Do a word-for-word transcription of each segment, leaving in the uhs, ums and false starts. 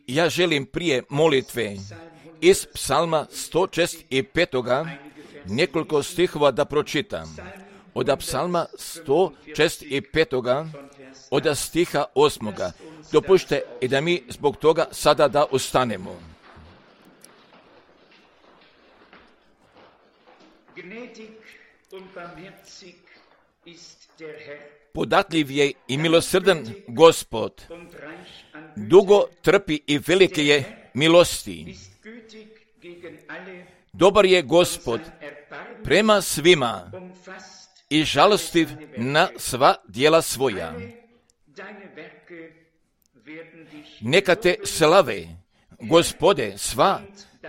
Ja želim prije molitve iz psalma sto šezdeset pet nekoliko stihova da pročitam. Od psalma sto šezdeset pet od stiha osmoga. Dopušte i da mi zbog toga sada da ustanemo. Podatljiv je i milosrdan Gospod, dugo trpi i velike je milosti. Dobar je Gospod prema svima i žalostiv na sva djela svoja. Neka te slave, Gospode, sva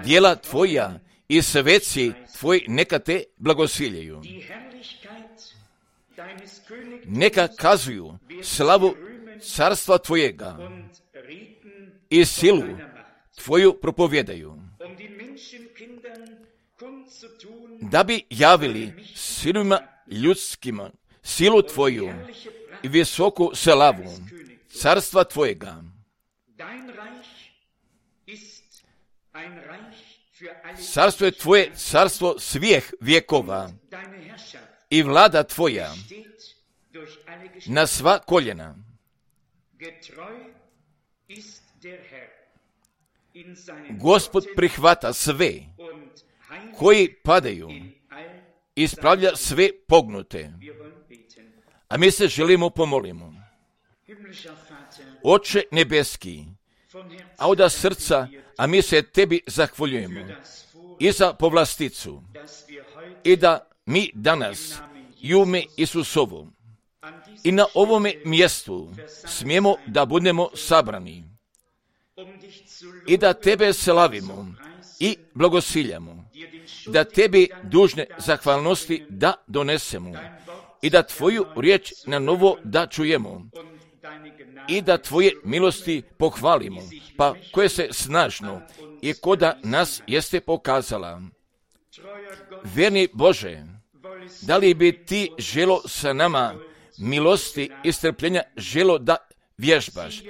djela tvoja i sveci tvoji neka te blagosiljaju. Neka kazuju slavu carstva tvojega i silu tvoju propovjedaju, da bi javili sinovima ljudskima silu tvoju i visoku slavu carstva tvojega. Carstvo je tvoje carstvo svih vjekova i vlada tvoja na sva koljena. Gospod prihvata sve koji padaju, ispravlja sve pognute. A mi se želimo pomolimo. Oče nebeski, a od srca, a mi se tebi zahvaljujemo i za povlasticu i da mi danas i u ime Isusovo i na ovome mjestu smijemo da budemo sabrani i da tebe slavimo i blagosiljamo, da tebi dužne zahvalnosti da donesemo i da tvoju riječ na novo da čujemo i da tvoje milosti pohvalimo, pa koje se snažno i koda nas jeste pokazala. Vjerni Bože, da li bi ti želo sa nama milosti i strpljenja želo da vježbaš?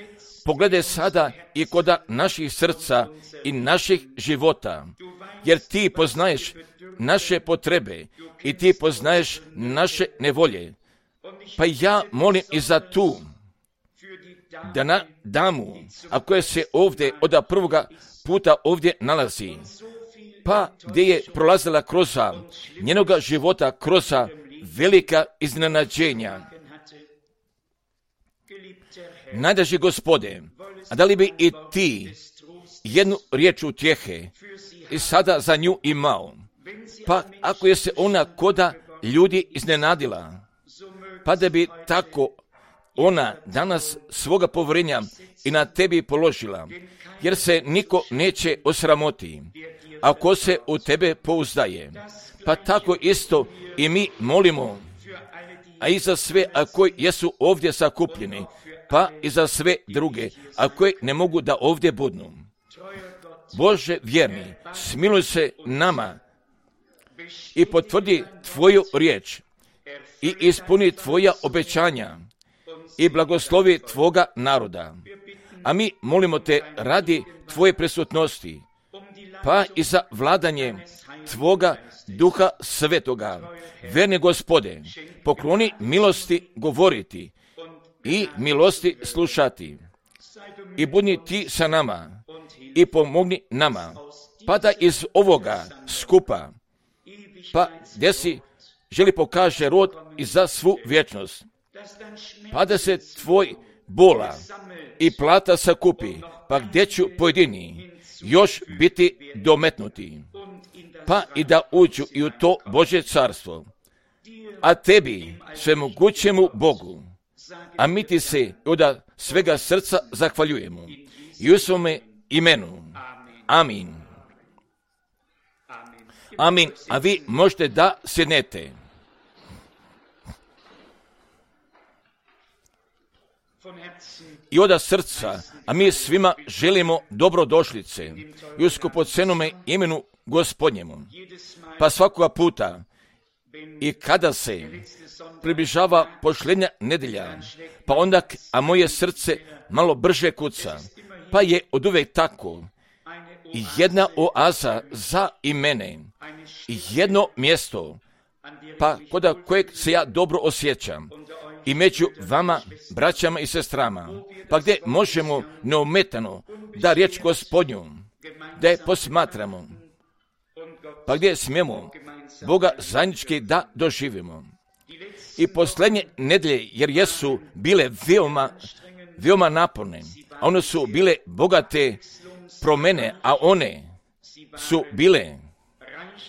Pogledaj sada i koda naših srca i naših života, jer ti poznaješ naše potrebe i ti poznaješ naše nevolje. Pa ja molim i za tu, da na damu, a koja se ovdje od prvoga puta ovdje nalazi, pa gdje je prolazila kroz njenoga života, kroz velika iznenađenja. Najdraži Gospode, a da li bi i ti jednu riječ utjehe i sada za nju imao? Pa ako je se ona koda ljudi iznenadila, pa da bi tako ona danas svoga povjerenja i na tebi položila, jer se niko neće osramoti ako se u tebe pouzdaje. Pa tako isto i mi molimo, a i za sve a koji jesu ovdje sakupljeni, pa i za sve druge, a koji ne mogu da ovdje budnu. Bože vjerni, smiluj se nama i potvrdi tvoju riječ i ispuni tvoja obećanja i blagoslovi tvoga naroda. A mi molimo te radi tvoje prisutnosti, pa i za vladanje tvoga Duha Svetoga. Verni Gospode, pokloni milosti govoriti i milosti slušati. I budi ti sa nama i pomogni nama, pa da iz ovoga skupa, pa gdje si želi pokaže rod i za svu vječnost, pa da se tvoj bola i plata sakupi, pa gdje ću pojedini još biti dometnuti, pa i da uđu i u to Božje carstvo. A tebi, svemogućemu Bogu, a mi ti se od svega srca zahvaljujemo. I u svome imenu. Amin. Amin. A vi možete da sjednete. I od srca, a mi svima želimo dobrodošlice i u skupocenome imenu Gospodnjemu. Pa svakoga puta i kada se približava posljednja nedjelja, pa onda, a moje srce malo brže kuca, pa je oduvek tako. Jedna oaza za i mene, jedno mjesto, pa kod kojeg se ja dobro osjećam, i među vama, braćama i sestrama, pa gdje možemo neometano da riječ Gospodnju, da je posmatramo, pa gdje smijemo Boga zajednički da doživimo. I posljednje nedelje, jer jesu bile veoma, veoma naporne, a one su bile bogate promjene, a one su bile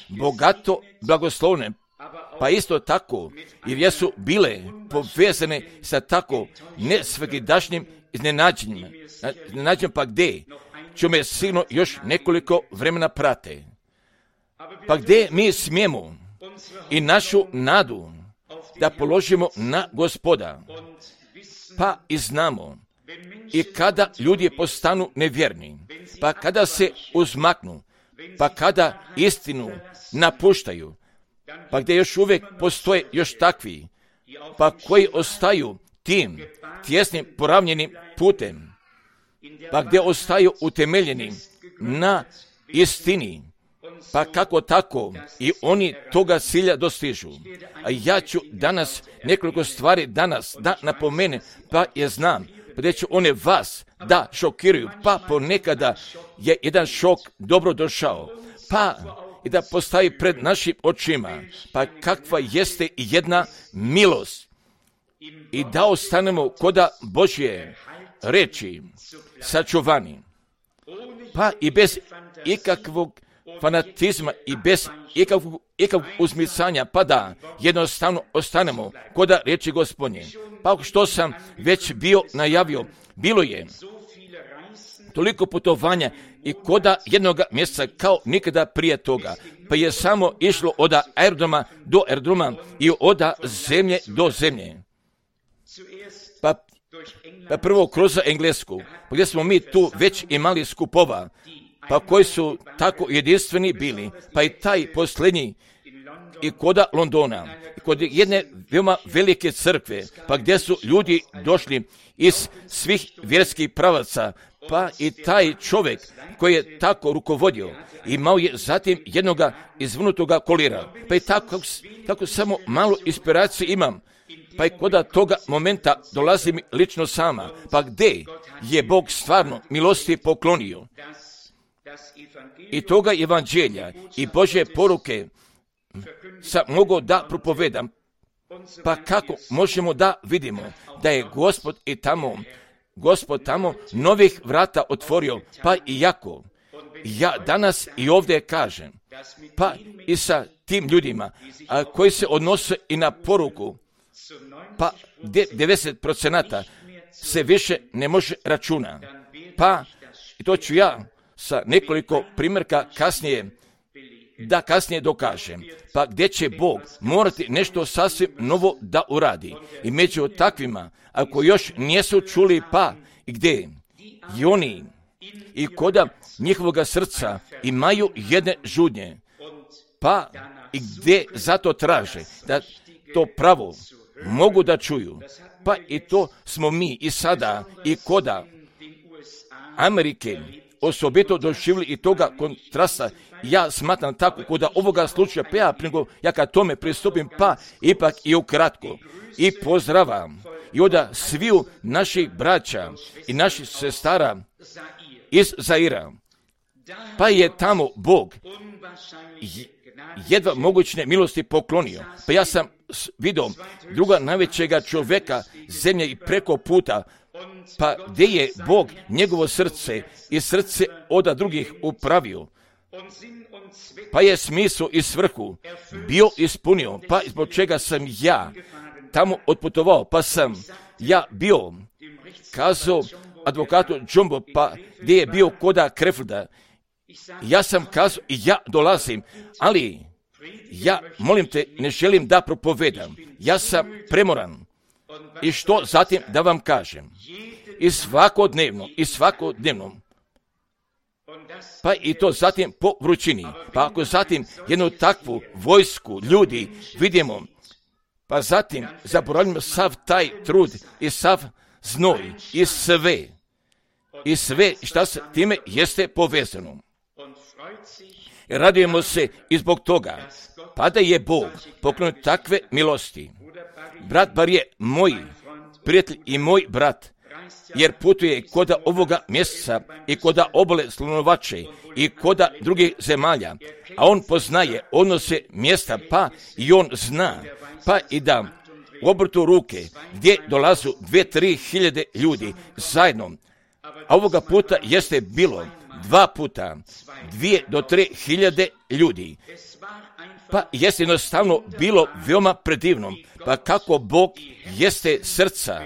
bogato blagoslovne, pa isto tako, jer jesu bile povezane sa tako nesvakidašnjim iznenađenjima. Iznenađenjima pa gdje ću me sigurno još nekoliko vremena prate. Pa gdje mi smijemo i našu nadu da položimo na Gospoda, pa i znamo, i kada ljudi postanu nevjerni, pa kada se uzmaknu, pa kada istinu napuštaju, pa gdje još uvijek postoje još takvi, pa koji ostaju tim tjesnim poravnjenim putem, pa gdje ostaju utemeljeni na istini, pa kako tako i oni toga cilja dostižu. A ja ću danas nekoliko stvari danas da napomenem, pa je znam, pa gdje ću one vas da šokiraju, pa ponekada je jedan šok dobro došao, pa i da postavi pred našim očima, pa kakva jeste jedna milost i da ostanemo koda Božje reči sačuvani, pa i bez ikakvog fanatizma i bez ikakvog, ikakvog uzmicanja, pa da jednostavno ostanemo koda reči Gospodnje. Pa što sam već bio najavio, bilo je toliko putovanja i koda jednog mjeseca kao nikada prije toga, pa je samo išlo od aerodroma do aerodroma i od zemlje do zemlje. Pa, pa prvo kroz Englesku, pa gdje smo mi tu već imali skupova, pa koji su tako jedinstveni bili, pa i taj posljednji i koda Londona, i kod jedne veoma velike crkve, pa gdje su ljudi došli iz svih vjerskih pravaca, pa i taj čovjek koji je tako rukovodio, imao je zatim jednoga izvrnutoga kolira, pa i tako, tako samo malo inspiracije imam, pa i kod toga momenta dolazim lično sama, pa gdje je Bog stvarno milosti poklonio i toga evanđelja i Božje poruke sam mogao da propovedam, pa kako možemo da vidimo da je Gospod i tamo, Gospod tamo novih vrata otvorio, pa i jako. Ja danas i ovdje kažem, pa i sa tim ljudima a, koji se odnose i na poruku, pa devedeset procenata se više ne može računa, pa i to ću ja sa nekoliko primjerka kasnije, da kasnije dokažem, pa gdje će Bog morati nešto sasvim novo da uradi. I među takvima, ako još nisu čuli, pa i gdje i oni i koda njihovoga srca imaju jedne žudnje, pa i gdje zato traže da to pravo mogu da čuju, pa i to smo mi i sada i koda Amerike osobito doživjeli i toga kontrasta. Ja smatram tako kod ovoga slučaja, pa ja, ja kad tome pristupim, pa ipak i ukratko i pozdravam i od sviju naših braća i naših sestara iz Zaira, pa je tamo Bog jedva mogućne milosti poklonio. Pa ja sam vidio druga najvećega čovjeka zemlje i preko puta, pa gdje je Bog njegovo srce i srce od drugih upravio, pa je smisao i svrhu bio ispunio, pa zbog čega sam ja tamo otputovao, pa sam ja bio kazao advokatu Jumbo, pa gdje je bio koda Kreflda, ja sam kazao i ja dolazim, ali ja, molim te, ne želim da propovedam, ja sam premoran. I što zatim da vam kažem, i svakodnevno, i svakodnevno, pa i to zatim po vrućini, pa ako zatim jednu takvu vojsku ljudi vidimo, pa zatim zaboravimo sav taj trud i sav znoj i sve, i sve šta se time jeste povezano. Radujemo se i zbog toga, pa da je Bog poklonio takve milosti. Brat bar je moj prijatelj i moj brat, jer putuje koda ovoga mjeseca i koda obale slunovače i koda drugih zemalja, a on poznaje odnose mjesta, pa i on zna, pa i da u obrtu ruke gdje dolazu dve, tri hiljade ljudi zajedno, a ovoga puta jeste bilo dva puta, dvije do tri hiljade ljudi. Pa jeste jednostavno bilo veoma predivno, pa kako Bog jeste srca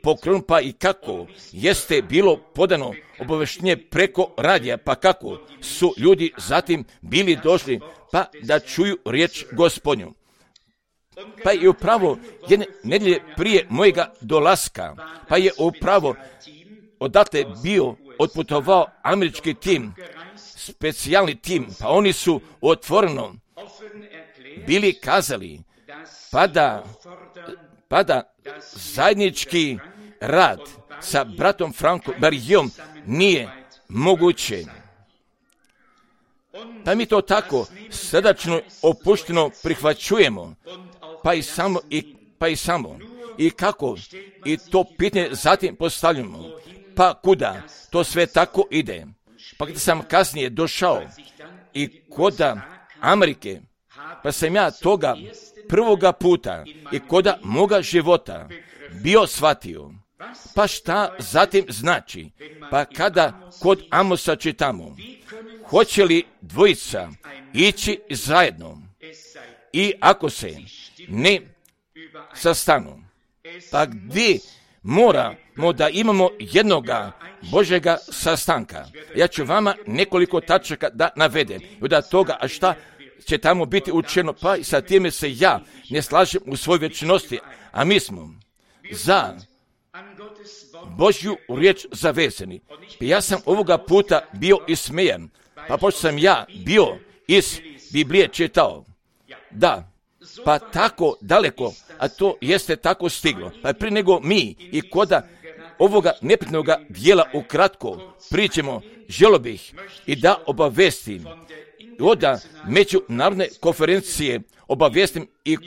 pokrenut, pa i kako jeste bilo podano obaveštenje preko radija, pa kako su ljudi zatim bili došli, pa da čuju riječ Gospodnju. Pa je upravo jedne nedjelje prije mojega dolaska, pa je upravo odatle bio otputovao američki tim, specijalni tim, pa oni su otvoreno bili kazali, pa da, pa da zajednički rad sa bratom Frankom Barijom nije moguće. Pa mi to tako srdačno opušteno prihvaćujemo, pa i samo, i, pa i samo, i kako, i to pitanje zatim postavljamo, pa kuda to sve tako ide. Pa kada sam kasnije došao i koda Amerike, pa sam ja toga prvoga puta i koda moga života bio shvatio. Pa šta zatim znači? Pa kada kod Amosa čitamo, hoće li dvojica ići zajedno i ako se ne sastanu, pa gdje moramo da imamo jednoga Božjega sastanka. Ja ću vama nekoliko tačaka da navedem. I od toga, a šta će tamo biti učeno, pa i sa time se ja ne slažem u svojoj vječnosti, a mi smo za Božju riječ zavezani. Pa ja sam ovoga puta bio ismejan, pa pošto sam ja bio iz Biblije čitao, da, pa tako daleko, a to jeste tako stiglo, pa prije nego mi i koda ovoga neprijatnoga dijela ukratko pričamo, želio bih i da obavestim oda međunarodne konferencije obavestim i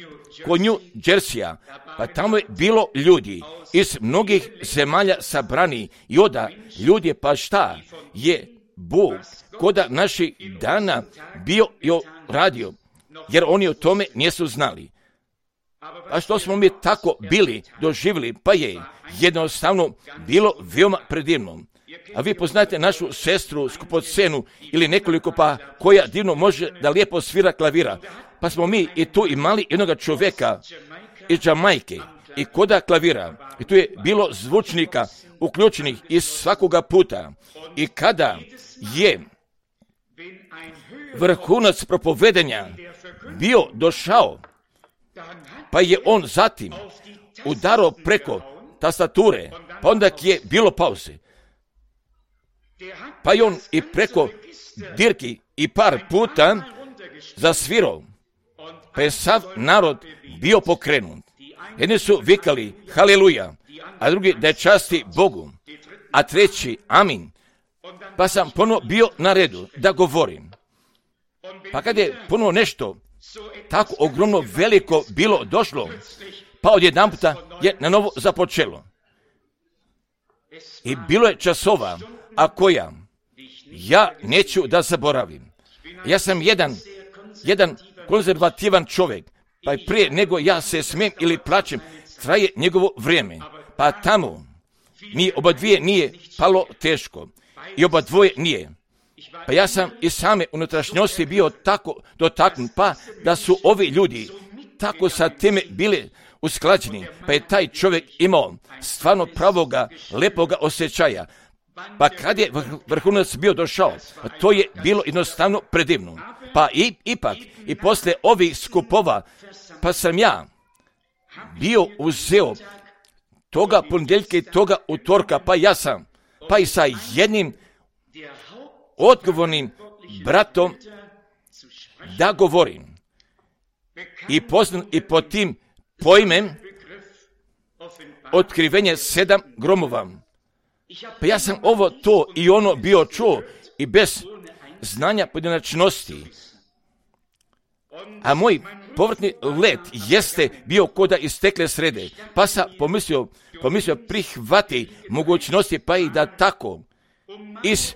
kod New Jersey-a, pa tamo je bilo ljudi iz mnogih zemalja sabrani i oda ljudi, pa šta je Bog koda naših dana bio i radio, jer oni o tome nisu znali. A što smo mi tako bili doživjeli, pa je jednostavno bilo veoma predivno. A vi poznajete našu sestru skupocenu ili nekoliko, pa koja divno može da lijepo svira klavira. Pa smo mi i tu imali jednog čovjeka iz Jamajke i koda klavira. I tu je bilo zvučnika uključenih iz svakoga puta. I kada je vrhunac propovedanja bio došao, pa je on zatim udarao preko tastature, pa onda je bilo pauze. Pa je on i preko dirki i par puta zasvirao, pa je sav narod bio pokrenut. Jedni su vikali haleluja, a drugi da je časti Bogu, a treći amin. Pa sam ponovo bio na redu da govorim. Pa kad je ponovo nešto tako ogromno veliko bilo došlo, pa odjedan puta je na novo započelo. I bilo je časova, a koja ja neću da zaboravim. Ja sam jedan, jedan konzervativan čovjek, pa i prije nego ja se smijem ili plačem, traje njegovo vrijeme. Pa tamo mi oba dvije nije palo teško i oba dvoje nije. Pa ja sam i same unutrašnjosti bio tako dotaknut, pa da su ovi ljudi tako sa time bili usklađeni, pa je taj čovjek imao stvarno pravoga, lepoga osjećaja. Pa kad je vrhunac bio došao, to je bilo jednostavno predivno. Pa i, ipak, i posle ovih skupova, pa sam ja bio uzeo toga ponedjeljka i toga utorka, pa ja sam, pa i sa jednim odgovornim bratom da govorim. I poznam i pod tim pojmem otkrivenje sedam gromova. Pa ja sam ovo, to i ono bio čuo i bez znanja pojedinačnosti. A moj povrtni let jeste bio koda iz stekle srede. Pa sam pomislio, pomislio prihvati mogućnosti, pa i da tako iz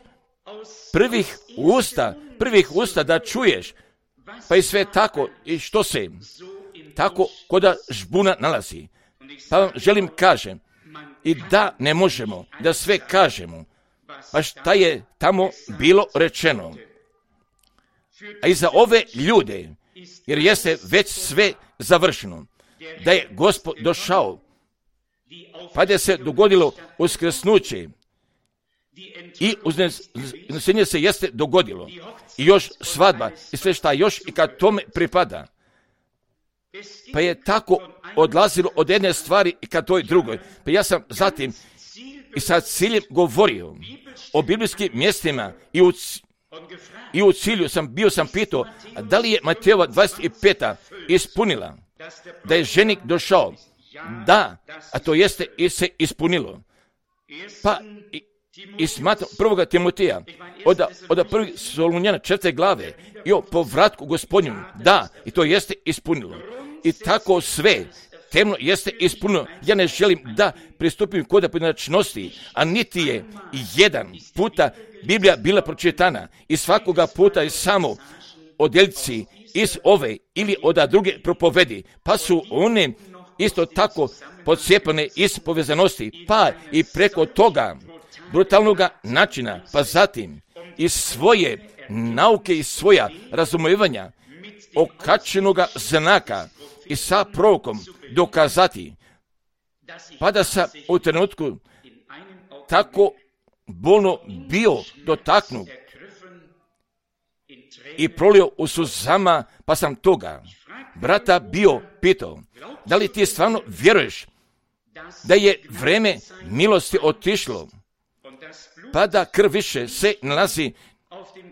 prvih usta, prvih usta da čuješ, pa i sve tako i što se tako koda žbuna nalazi. Pa vam želim kažem i da ne možemo da sve kažemo, pa šta je tamo bilo rečeno. A i za ove ljude, jer jeste već sve završeno, da je Gospod došao, pa da se dogodilo uskrsnuće i uznesenje se jeste dogodilo i još svadba i sve šta još i kad tome pripada. Pa je tako odlazilo od jedne stvari i kad toj drugoj. Pa ja sam zatim i sa ciljem govorio o biblijskim mjestima i u, i u cilju sam bio sam pitao da li je Matejova dvadeset peta ispunila, da je ženik došao. Da, a to jeste i se ispunilo. Pa i, i smatram prvoga Timoteja, od, od prvih Solunjana četvrte glave i o povratku Gospodnju, da, i to jeste ispunilo. I tako sve temno jeste ispunilo. Ja ne želim da pristupim kod pojedinačnosti, a niti je jedan puta Biblija bila pročitana i svakoga puta je samo odjeljci iz ove ili od druge propovedi, pa su one isto tako pocijepane iz povezanosti, pa i preko toga brutalnog načina, pa zatim iz svoje nauke i svoja razumijevanja okačenoga znaka i sa prorokom dokazati, pa da sam u trenutku tako bolno bio dotaknut i prolio u suzama, pa sam toga brata bio pitao, da li ti stvarno vjeruješ da je vreme milosti otišlo, pa da krv više se nalazi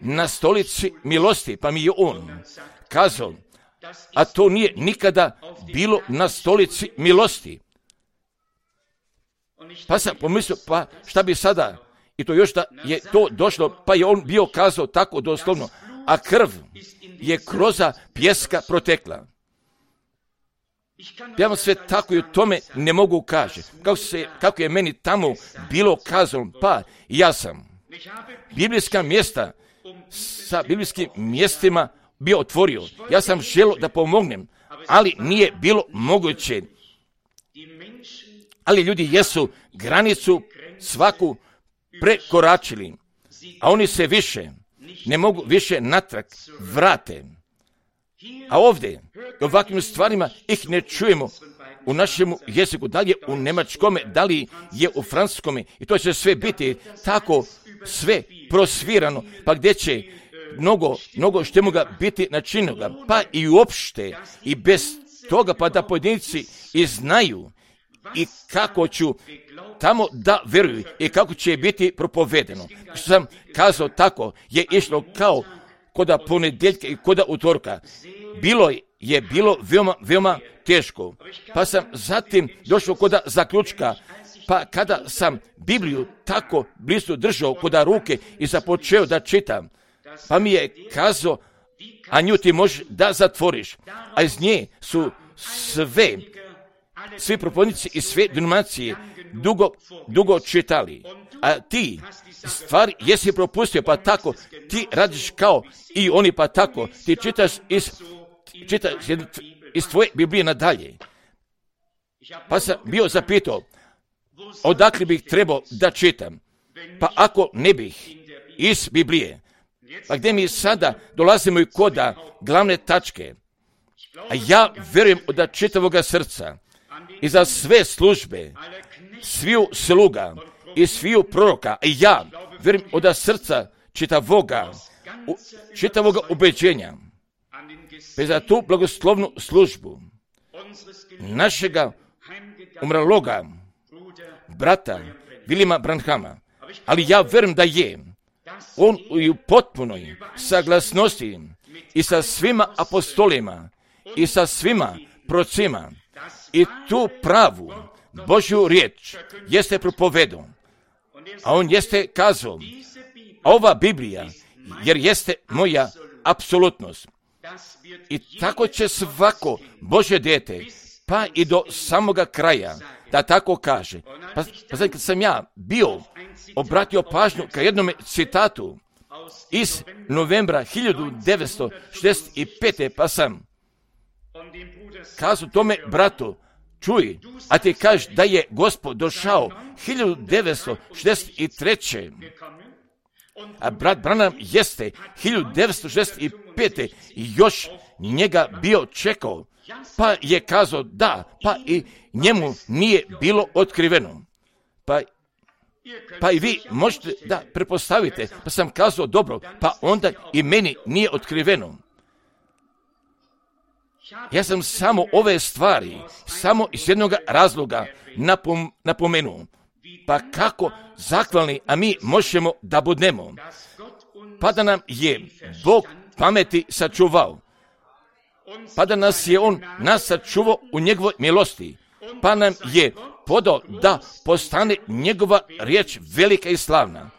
na stolici milosti, pa mi je on kazao, a to nije nikada bilo na stolici milosti. Pa sam pomislio, pa šta bi sada, i to još da je to došlo, pa je on bio kazao tako doslovno, a krv je kroz pjeska protekla. Ja vam sve tako i o tome ne mogu kaži. Kako, se, kako je meni tamo bilo kazano, pa ja sam biblijska mjesta sa biblijskim mjestima bio otvorio. Ja sam želio da pomognem, ali nije bilo moguće. Ali ljudi jesu granicu svaku prekoračili, a oni se više ne mogu više natrag vrate. A ovdje, ovakvim stvarima ih ne čujemo u našem jeziku, da li je u njemačkome, da li je u francuskome, i to će sve biti tako sve prosvirano, pa gdje će mnogo, mnogo što moga biti načinjenoga, pa i uopšte, i bez toga, pa da pojedinci i znaju i kako ću tamo da veruju i kako će biti propovedeno. Što sam kazao tako, je išlo kao koda ponedjeljka i koda utorka. Bilo je bilo veoma, veoma teško. Pa sam zatim došao koda zaključka, pa kada sam Bibliju tako blizu držao koda ruke i započeo da čitam, pa mi je kazao, a nju ti možeš da zatvoriš. A iz nje su sve, svi propovjednici i sve denominacije dugo, dugo čitali. A ti stvari jesi propustio, pa tako ti radiš kao i oni, pa tako ti čitaš iz, čitaš iz tvoje Biblije nadalje. Pa sam bio zapitao, odakle bih trebao da čitam? Pa ako ne bih iz Biblije, pa gdje mi sada dolazimo i koda glavne tačke, a ja verujem od čitavoga srca i za sve službe, sviju sluga i sviju proroka, i ja verujem od srca čitavoga, u, čitavoga ubeđenja, pa za tu blagoslovnu službu našega umrloga brata Vilijama Branhama, ali ja verujem da je on u potpunoj saglasnosti i sa svima apostolima i sa svima procima i tu pravu Božju riječ jeste propovedao. A on jeste kazao, ova Biblija, jer jeste moja apsolutnost. I tako će svako Božje dijete, pa i do samoga kraja, da tako kaže. Pa, pa sad kad sam ja bio obratio pažnju ka jednome citatu iz novembra hiljadu devetsto šezdeset pete. pa sam kazao tome bratu, čuj, a ti kažeš da je Gospod došao hiljadu devetsto šezdeset treće. A brat Branham jeste hiljadu devetsto šezdeset pete. i još njega bio čekao, pa je kazao da, pa i njemu nije bilo otkriveno. Pa, pa i vi možete da prepostavite, pa sam kazao dobro, pa onda i meni nije otkriveno. Ja sam samo ove stvari, samo iz jednog razloga napom, napomenuo. Pa kako zahvalni, a mi možemo da budemo. Pa da nam je Bog pameti sačuvao. Pa da nas je On nas sačuvao u njegovoj milosti. Pa nam je podao da postane njegova riječ velika i slavna.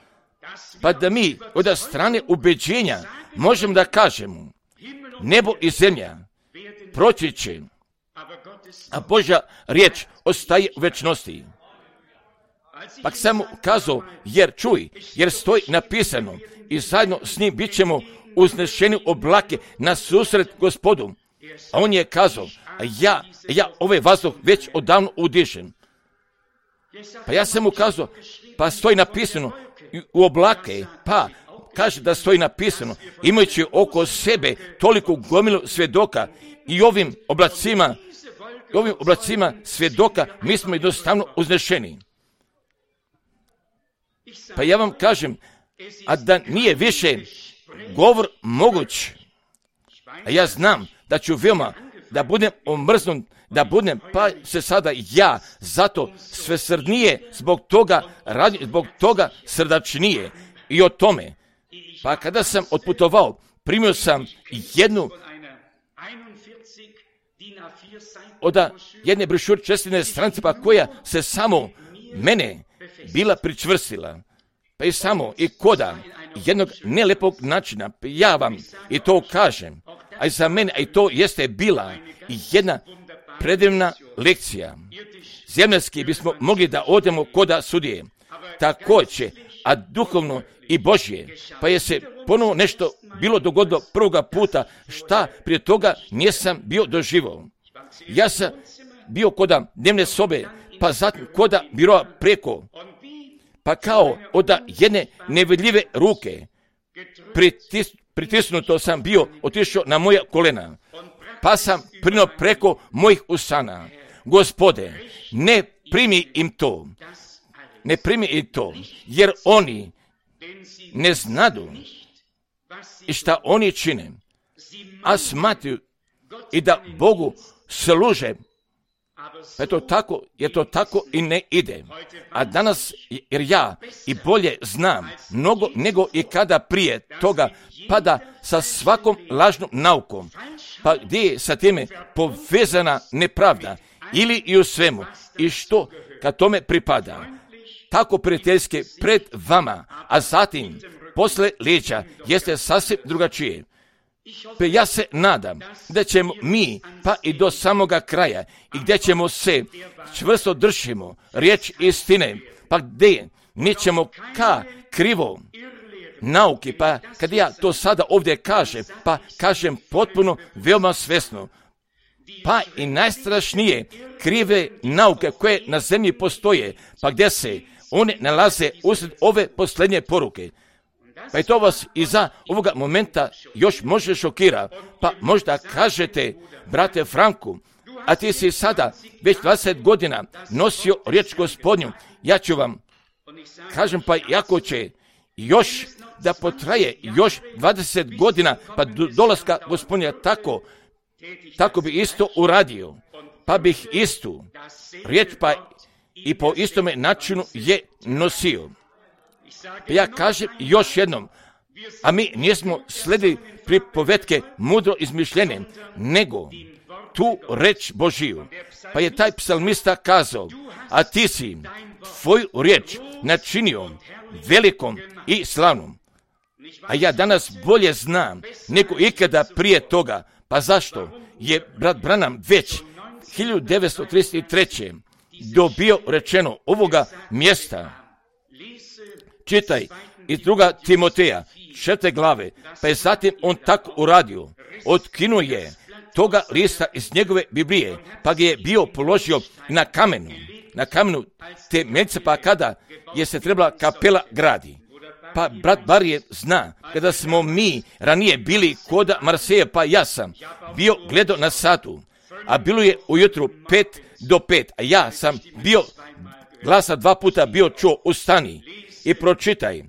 Pa da mi od strane ubeđenja možemo da kažemo, nebo i zemlja proći će, a Božja riječ ostaje u večnosti. Pa sam kazao, jer čuj, jer stoji napisano i zajedno s njim bit ćemo uznešeni u oblake na susret Gospodu. A on je kazao, a ja, ja ovaj vazduh već odavno udišem. Pa ja sam mu kazao, pa stoji napisano u oblake, pa kaže da stoji napisano, imajući oko sebe toliko gomilu svjedoka i ovim oblacima, ovim oblacima svjedoka mi smo jednostavno uznešeni. Pa ja vam kažem, a da nije više govor moguć, a ja znam da ću veoma da budem omrznut, da budem, pa se sada ja zato svesrdnije zbog toga radim, zbog toga srdačnije i o tome. Pa kada sam otputovao, primio sam jednu od jedne brošure čestine stranice, pa koja se samo mene bila pričvrstila. Pa i samo i koda jednog nelepog načina, ja vam i to kažem, a i za mene, a i to jeste bila jedna predivna lekcija. Zemljski bismo mogli da odemo koda sudije, također, a duhovno i Božje, pa je se ponovo nešto bilo dogodilo prvoga puta, šta prije toga nisam bio doživao. Ja sam bio koda dnevne sobe, pa zatim koda biroa preko, pa kao od jedne nevidljive ruke pritis, pritisnuto sam bio, otišao na moja kolena, pa sam prinuo preko mojih usana. Gospode, ne primi im to, ne primi im to, jer oni ne znadu i šta oni čine, a smatruju i da Bogu služe. Pa je to tako, jer to tako i ne ide. A danas, jer ja i bolje znam mnogo nego i kada prije toga pada sa svakom lažnom naukom, pa gdje je sa time povezana nepravda ili i u svemu i što kad tome pripada. Tako prijateljske pred vama, a zatim posle leđa jeste sasvim drugačije. Pa ja se nadam da ćemo mi pa i do samoga kraja i gdje ćemo se čvrsto držimo riječ istine, pa gdje nećemo ka krivo nauki, pa kad ja to sada ovdje kažem, pa kažem potpuno veoma svjesno, pa i najstrašnije krive nauke koje na zemlji postoje, pa gdje se one nalaze usred ove posljednje poruke. Pa i to vas i za ovoga momenta još može šokira, pa možda kažete, brate Franku, a ti si sada već dvadeset godina nosio riječ Gospodnju, ja ću vam, kažem pa jako će još da potraje još dvadeset godina, pa do dolaska Gospodnja tako, tako bi isto uradio, pa bih istu riječ pa i po istome načinu je nosio. Pa ja kažem još jednom, a mi nismo sledili pripovetke mudro izmišljene, nego tu reč Božiju. Pa je taj psalmista kazao, a ti si tvoju riječ načinio velikom i slavnom. A ja danas bolje znam nego ikada prije toga. Pa zašto je brat Branham već hiljadu devetsto trideset treće dobio rečeno ovoga mjesta? Čitaj iz druga Timoteja, četvrte glave, pa je zatim on tako uradio. Otkinuo je toga lista iz njegove Biblije, pa ga je bio položio na kamenu, na kamenu te mjenice, pa kada je se trebala kapela gradi. Pa brat Barije zna, kada smo mi ranije bili koda Marseja, pa ja sam bio gledao na satu, a bilo je ujutru pet do pet, a ja sam bio glasa dva puta bio čuo, ustani i pročitaj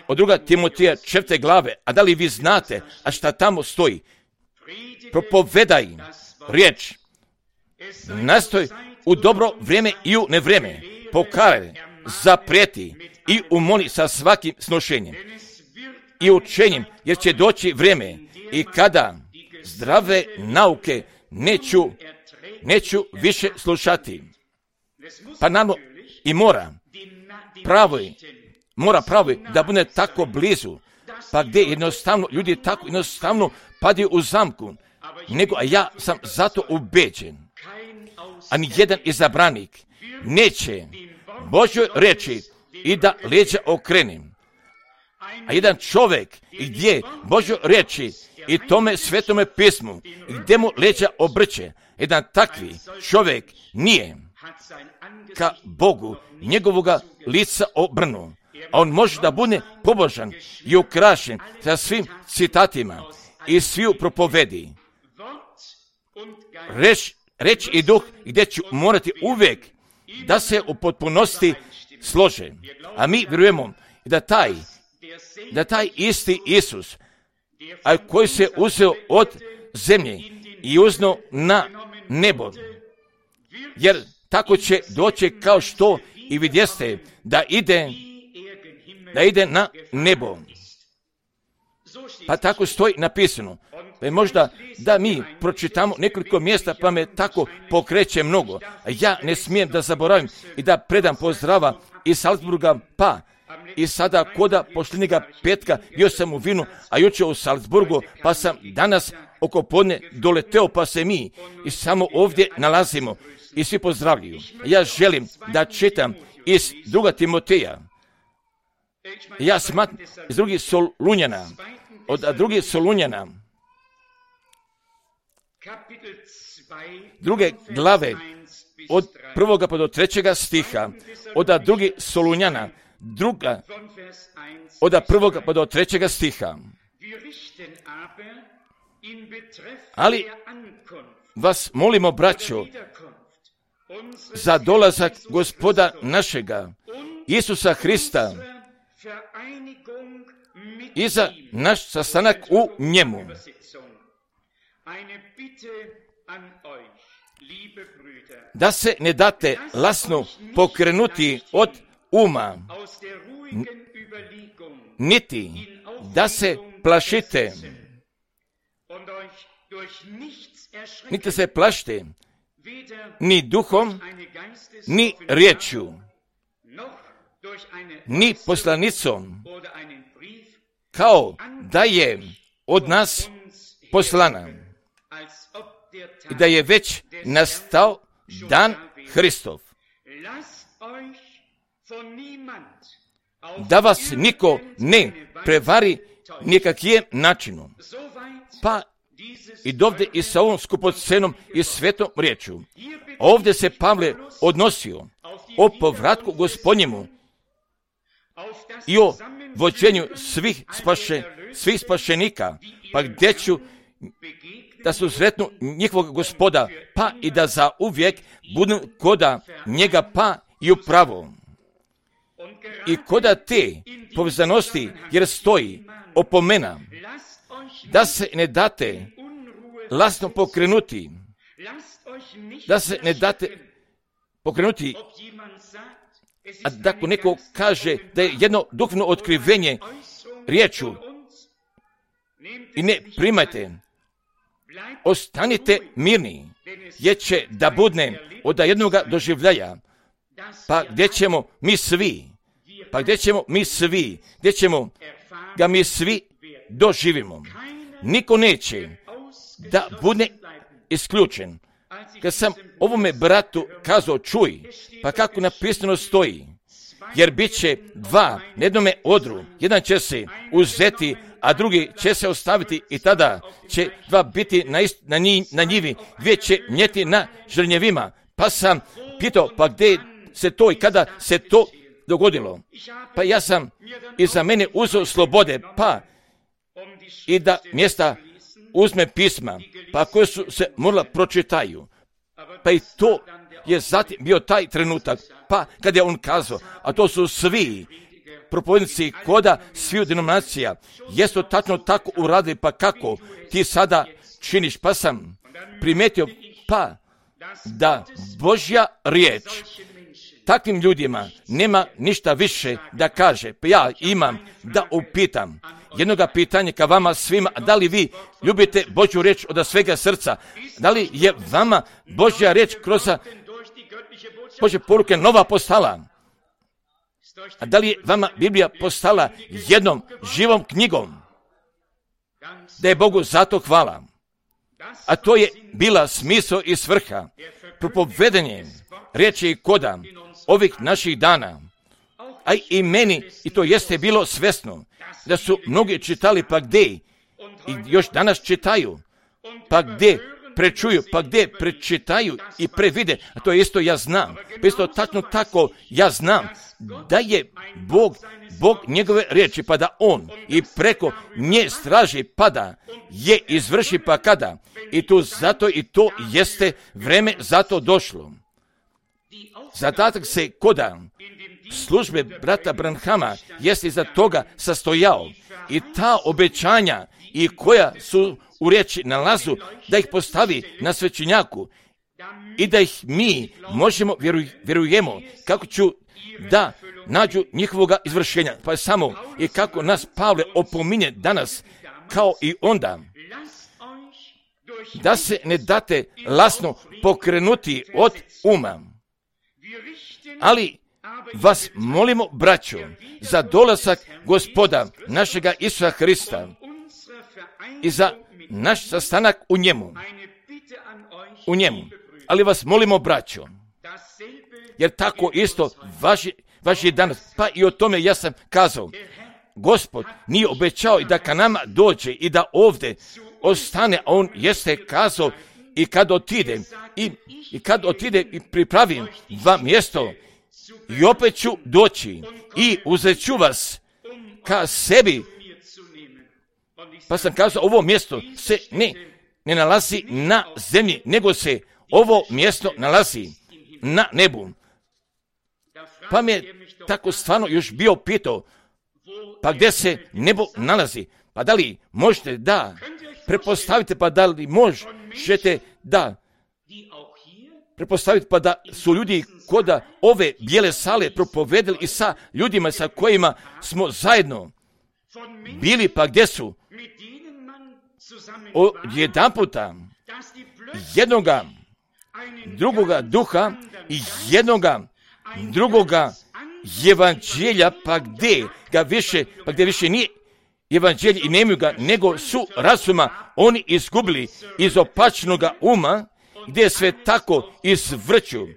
od druga Timoteja četvrte glave, a da li vi znate, a šta tamo stoji? Propovedaj riječ, nastoj u dobro vrijeme i u nevrijeme, pokaj, zaprijeti i umoli sa svakim snošenjem i učenjem, jer će doći vrijeme i kada zdrave nauke neću, neću više slušati. Pa naravno i mora pravo mora pravo da bude tako blizu, pa gdje jednostavno ljudi tako jednostavno padaju u zamku, nego a ja sam zato ubeđen, a ni jedan izabranik neće Božjoj reći i da leđa okrenem. A jedan čovjek gdje Božjoj reći i tome svetome pismu, gdje mu leđa obrće, jedan takvi čovjek nije ka Bogu njegovoga lica obrnu. A on može da bude pobožan i ukrašen sa svim citatima i sviju propovedi. Reč, reč i duh gdje ću morati uvijek da se u potpunosti slože. A mi vjerujemo da taj, da taj isti Isus, a koji se uzeo od zemlje i uzno na nebo, jer tako će doći kao što i vidjeste da ide da ide na nebo. Pa tako stoji napisano. Pa možda da mi pročitamo nekoliko mjesta, pa me tako pokreće mnogo. Ja ne smijem da zaboravim i da predam pozdrava iz Salzburga, pa i sada koda posljednjega petka bio sam u Vinu, a jučer u Salzburgu, pa sam danas oko podne doleteo, pa se mi i samo ovdje nalazimo i svi pozdravljaju. Ja želim da čitam iz druga Timoteja. Ja smatram iz drugih Solunjana, od drugih Solunjana, druge glave, od prvoga pa do trećega stiha, od drugih Solunjana, druga, od prvoga pa do trećega stiha. Ali vas molimo, braćo, za dolazak Gospoda našega, Isusa Hrista, i za naš sastanak u njemu. Da se ne date lasno pokrenuti od uma, niti da se plašite, niti se plašite, ni duhom, ni riječju, ni poslanicom, kao da je od nas poslana i da je već nastao dan Hristov. Da vas niko ne prevari nikakvim načinom. Pa i dovde i sa ovom skupocenom i svetom riječu. Ovdje se Pavle odnosio o povratku Gospodnjemu i o vođenju svih, spaše, svih spašenika, pa gdje ću da su sretnu njihovog Gospoda, pa i da za uvijek budu koda njega, pa i upravo. I koda te povezanosti, jer stoji opomena, da se ne date lasno pokrenuti, da se ne date pokrenuti, a da ako neko kaže da je jedno duhovno otkrivenje riječu i ne primajte, ostanite mirni, jer će da budne od jednoga doživljaja. Pa gdje ćemo mi svi, pa gdje ćemo mi svi, gdje ćemo ga mi svi doživimo. Niko neće da bude isključen. Kad sam ovome bratu kazao, čuj, pa kako napisano stoji, jer bit će dva na jednome odru, jedan će se uzeti, a drugi će se ostaviti i tada će dva biti na, ist, na, nji, na njivi, dvije će njeti na žrnjevima. Pa sam pitao, pa gdje se to i kada se to dogodilo? Pa ja sam iza mene uzeo slobode, pa i da mjesta uzme pisma, pa koje su se morala pročitaju. Pa i to je zatim bio taj trenutak, pa kad je on kazao, a to su svi propovednici koda sviju denominacija, jesu tačno tako uradili, pa kako ti sada činiš? Pa sam primetio, pa da Božja riječ takvim ljudima nema ništa više da kaže. Pa ja imam da upitam jednoga pitanja ka vama svima, da li vi ljubite Božju riječ od svega srca? Da li je vama Božja riječ kroz Božje poruke nova postala? A da li je vama Biblija postala jednom živom knjigom? Da je Bogu zato hvala. A to je bila smisao i svrha propovedanje riječi i koda ovih naših dana. A i meni, i to jeste bilo svesno, da su mnogi čitali, pa gdje i još danas čitaju, pa gdje prečuju, pa gdje prečitaju i previde, a to isto ja znam, pa isto tačno tako ja znam da je Bog, Bog njegove riječi, pa da on i preko nje straži, pa da je izvrši, pa kada, i tu zato i to jeste vreme zato došlo. Zadatak se koda službe brata Branhama jeste iza toga sastojao i ta obećanja i koja su u riječi nalazu da ih postavi na svećenjaku i da ih mi možemo vjeruj, vjerujemo kako ću da nađu njihovoga izvršenja. Pa samo i kako nas Pavle opominje danas kao i onda, da se ne date lasno pokrenuti od uma. Ali vas molimo, braćo, za dolazak Gospoda našega Isusa Hrista i za naš sastanak u njemu. U njemu. Ali vas molimo, braćo, jer tako isto važi, važi danas. Pa i o tome ja sam kazao. Gospod nije obećao i da ka nama dođe i da ovdje ostane, a on jeste kazao i kad otide i, i kad otide i pripravim vam mjesto i opet ću doći i uzet ću vas ka sebi. Pa sam kazao, ovo mjesto se ne, ne nalazi na zemlji, nego se ovo mjesto nalazi na nebu. Pa mi je tako stvarno još bio pitao, pa gdje se nebo nalazi? Pa da li možete da prepostavite, pa da li možete da prepostaviti, pa da su ljudi koda ove bijele sale propovedali i sa ljudima sa kojima smo zajedno bili, pa gdje su od jedan puta jednoga drugoga duha i jednoga drugoga evanđelja, pa gdje ga više, pa gdje više nije evanđelje i nemaju ga, nego su razuma oni izgubili iz opačnoga uma, gdje je sve tako izvrću.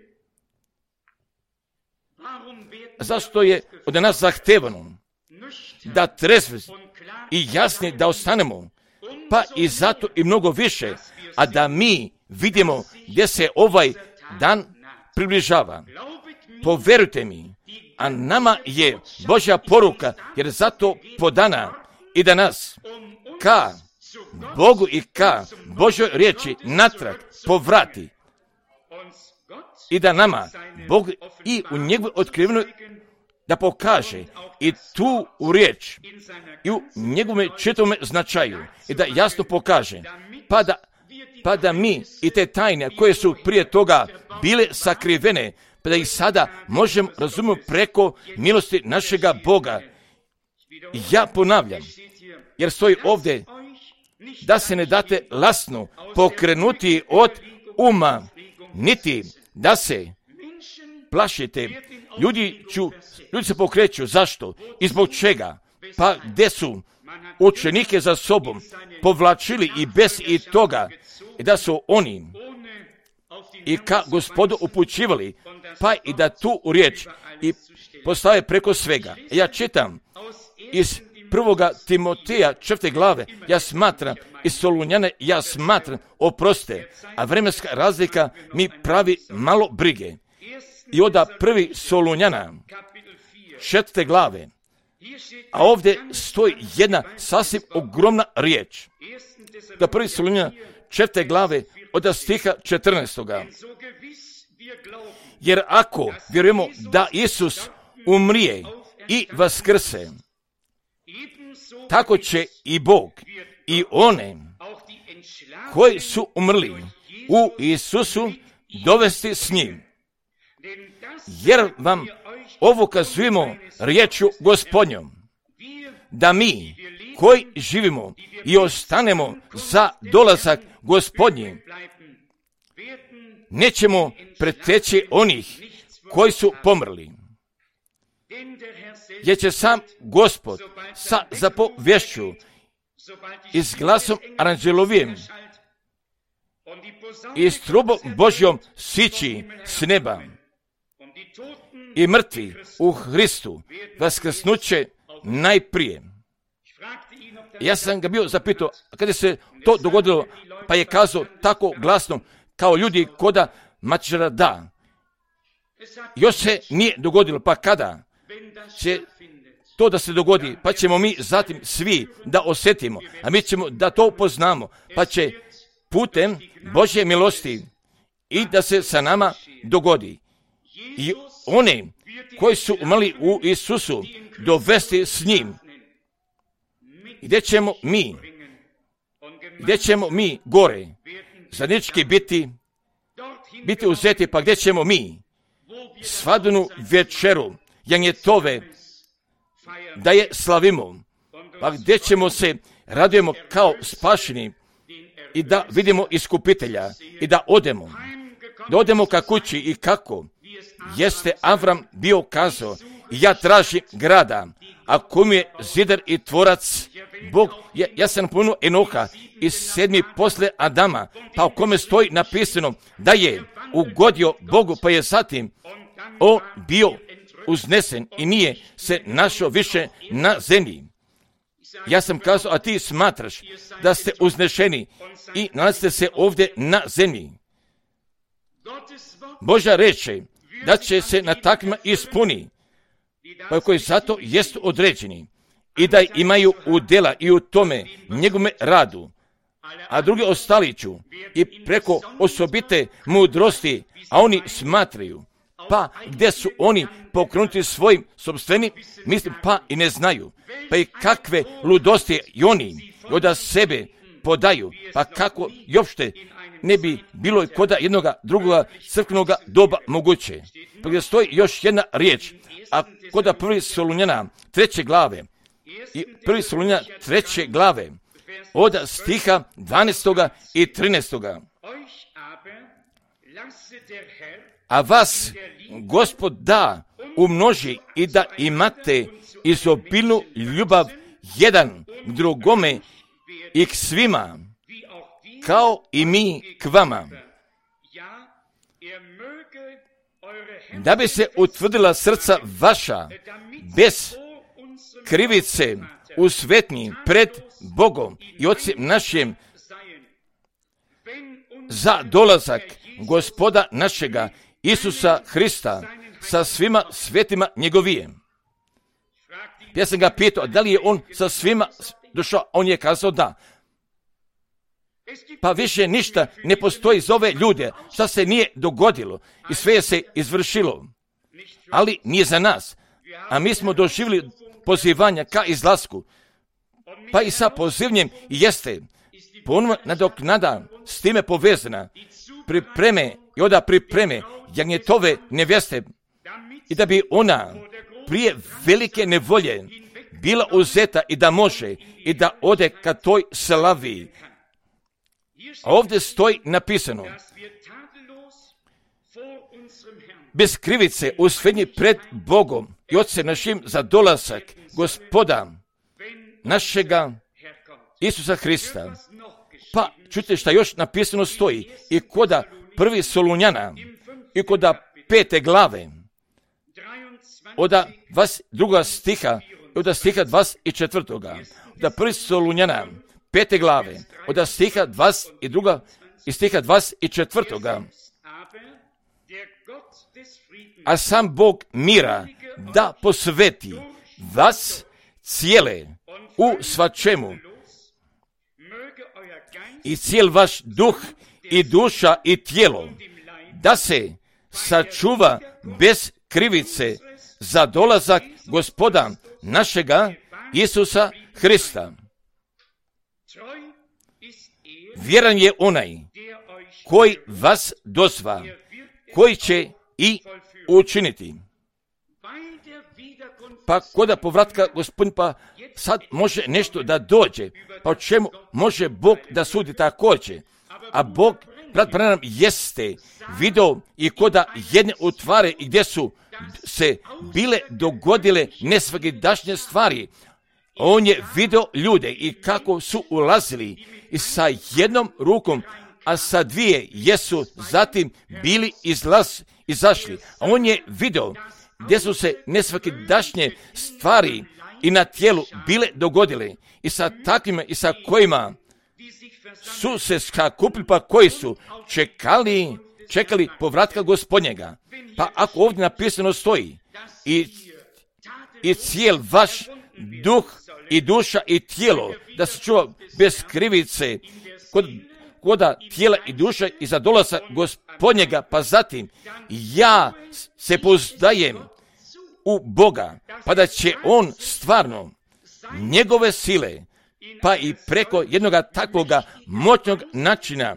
Zašto je od nas zahtevano da trezve i jasni da ostanemo, pa i zato i mnogo više, a da mi vidimo gdje se ovaj dan približava. Poverujte mi, a nama je Božja poruka, jer zato podana i da nas ka Bogu i ka Božoj riječi natrag povrati i da nama Bog i u njegovoj otkrivenoj da pokaže i tu u riječ i u njegovom čitavom značaju i da jasno pokaže, pa da, pa da mi i te tajne koje su prije toga bile sakrivene, pa da ih sada možemo razumjeti preko milosti našega Boga. Ja ponavljam, jer stoji ovdje, da se ne date lasno pokrenuti od uma, niti da se plašite. Ljudi, ću, ljudi se pokreću. Zašto? I zbog čega? Pa gdje su učenike za sobom povlačili i bez i toga, i da su oni i ka Gospodu upućivali, pa i da tu riječ i postave preko svega. Ja čitam iz prvoga Timoteja četvrte glave, ja smatram, iz Solunjane, ja smatram, oproste, a vremenska razlika mi pravi malo brige. I onda prvi Solunjana četvrte glave, a ovdje stoji jedna sasvim ogromna riječ. Da prvi Solunjana četvrte glave od stiha četrnaestoga. Jer ako vjerujemo da Isus umrije i vaskrse, tako će i Bog i one koji su umrli u Isusu dovesti s njim. Jer vam ovo kazujemo riječju Gospodnjom, da mi koji živimo i ostanemo za dolazak Gospodnji, nećemo preteći onih koji su pomrli. Jer će sam Gospod sa zapovješću i s glasom aranđelovijem i s trubom Božjom sići s neba, i mrtvi u Hristu vaskrsnuće najprije. Ja sam ga bio zapitao kada se to dogodilo, pa je kazao tako glasno kao ljudi koda mačara da. Još se nije dogodilo, pa kada će to da se dogodi, pa ćemo mi zatim svi da osjetimo, a mi ćemo da to poznamo, pa će putem Božje milosti i da se sa nama dogodi. I one koji su umrli u Isusu dovesti s njim. Gdje ćemo mi, gdje ćemo mi gore, zajednički biti, biti uzeti, pa gdje ćemo mi svadbenu večeru janjetove da je slavimo, pa gdje ćemo se radujemo kao spašeni i da vidimo iskupitelja i da odemo, da odemo ka kući i kako jeste Avram bio kazao, ja tražim grada, a kom je zidar i tvorac Bog. Ja, ja sam napomenuo Enoha iz sedmi posle Adama, pa u kome stoji napisano da je ugodio Bogu, pa je zatim on bio uznesen i nije se našao više na zemlji. Ja sam kazao, a ti smatraš da ste uznešeni i nalazite se ovdje na zemlji. Božja reče da će se na takvima ispuni, pa koji zato jest određeni i da imaju udjela i u tome njegome radu, a drugi ostali ću i preko osobite mudrosti, a oni smatraju, pa gdje su oni pokrenuti svojim sopstvenim, mislim, pa i ne znaju, pa i kakve ludosti i oni od sebe podaju, pa kako i uopšte ne bi bilo i koda jednoga drugoga crkvenoga doba moguće. Pa gdje stoji još jedna riječ, a koda prvi Solunjana treće glave, i prvi Solunjana treće glave, od stiha dvanaestoga i trinaestoga. A vas Gospod da umnoži i da imate izobilnu ljubav jedan k drugome i k svima, kao i mi k vama, da bi se utvrdila srca vaša bez krivice u svetnji pred Bogom i Otcem našim za dolazak Gospoda našega Isusa Hrista sa svima svetima njegovijem. Ja sam ga pitao, da li je on sa svima došao, on je kazao da. Pa više ništa ne postoji za ove ljude, šta se nije dogodilo i sve je se izvršilo, ali nije za nas. A mi smo doživjeli pozivanja ka izlasku, pa i sa pozivnjem jeste ponovno nadoknada s time povezana, pripreme i onda pripreme jagnjetove nevjeste i da bi ona prije velike nevolje bila uzeta i da može i da ode ka toj slavi. A ovdje stoji napisano, bez krivice usvednji pred Bogom i Otcem našim za dolazak Gospoda našega Isusa Hrista. Pa čujte šta još napisano stoji i koda prvi Solunjana i koda pete glave oda vas druga stiha oda stiha dvadeset četvrtoga oda prvi Solunjana pete glave oda stiha dvadeset druga i stiha dvadeset četvrtoga. A sam Bog mira da posveti vas cijele u svačemu i cijel vaš duh i duša i tijelo, da se sačuva bez krivice za dolazak Gospoda našega Isusa Hrista. Vjeran je onaj koji vas dozva, koji će i učiniti. Pa koda povratka Gospodin, pa sad može nešto da dođe, pa o čemu može Bog da sudi također? A Bog, brat Branham, jeste video i koda jedne utvare i gdje su se bile dogodile nesvakidašnje stvari. On je video ljude i kako su ulazili i sa jednom rukom, a sa dvije jesu zatim bili izlaz, izašli. A on je video gdje su se nesvakidašnje stvari i na tijelu bile dogodile i sa takvima i sa kojima su se sakupili, pa koji su čekali, čekali povratka Gospodnjega. Pa ako ovdje napisano stoji i, i cijel vaš duh i duša i tijelo da se čuva bez krivice kod, koda tijela i duša i za dolazak Gospodnjega, pa zatim ja se pouzdajem u Boga, pa da će On stvarno njegove sile, pa i preko jednoga takvoga moćnog načina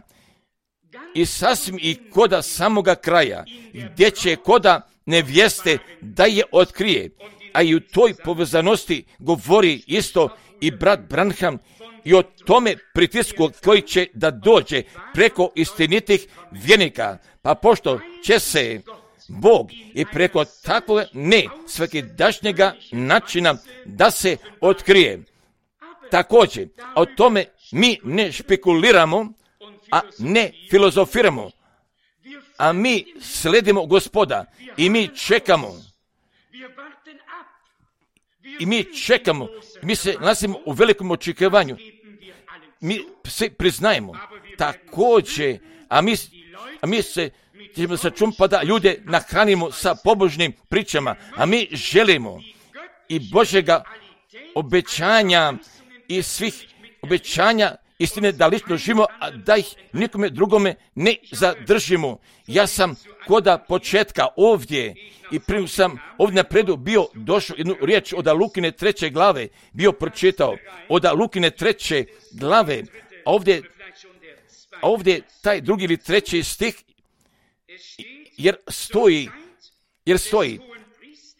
i sasvim i koda samoga kraja, gdje će koda nevjeste da je otkrije, a i u toj povezanosti govori isto i brat Branham i o tome pritisku koji će da dođe preko istinitih vjernika, pa pošto će se Bog i preko takvog ne svakidašnjega načina da se otkrije. Također, o tome mi ne špekuliramo, a ne filozofiramo, a mi sledimo Gospoda i mi čekamo. I mi čekamo, mi se nalazimo u velikom očekivanju. Mi se priznajemo također, a mi, a mi se ćemo sačuvati pa da ljude nahranimo sa pobožnim pričama, a mi želimo i Božjega obećanja i svih obećanja istine da lično živimo, a da ih nikome drugome ne zadržimo. Ja sam koda početka ovdje i prije sam ovdje napredu bio došao jednu riječ od Lukine treće glave, bio pročitao od Lukine treće glave, a ovdje, a ovdje taj drugi ili treći stih, jer stoji, jer stoji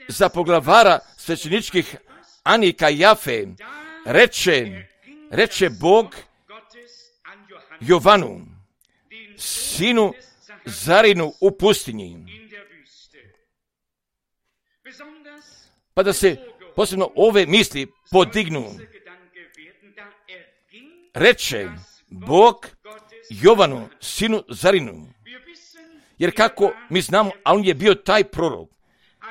za poglavara svećeničkih Anika Jafe, reče, reče Bog Jovanu, sinu Zarinu u pustinji. Pa da se posebno ove misli podignu. Reče Bog Jovanu, sinu Zarinu. Jer kako mi znamo, a on je bio taj prorok.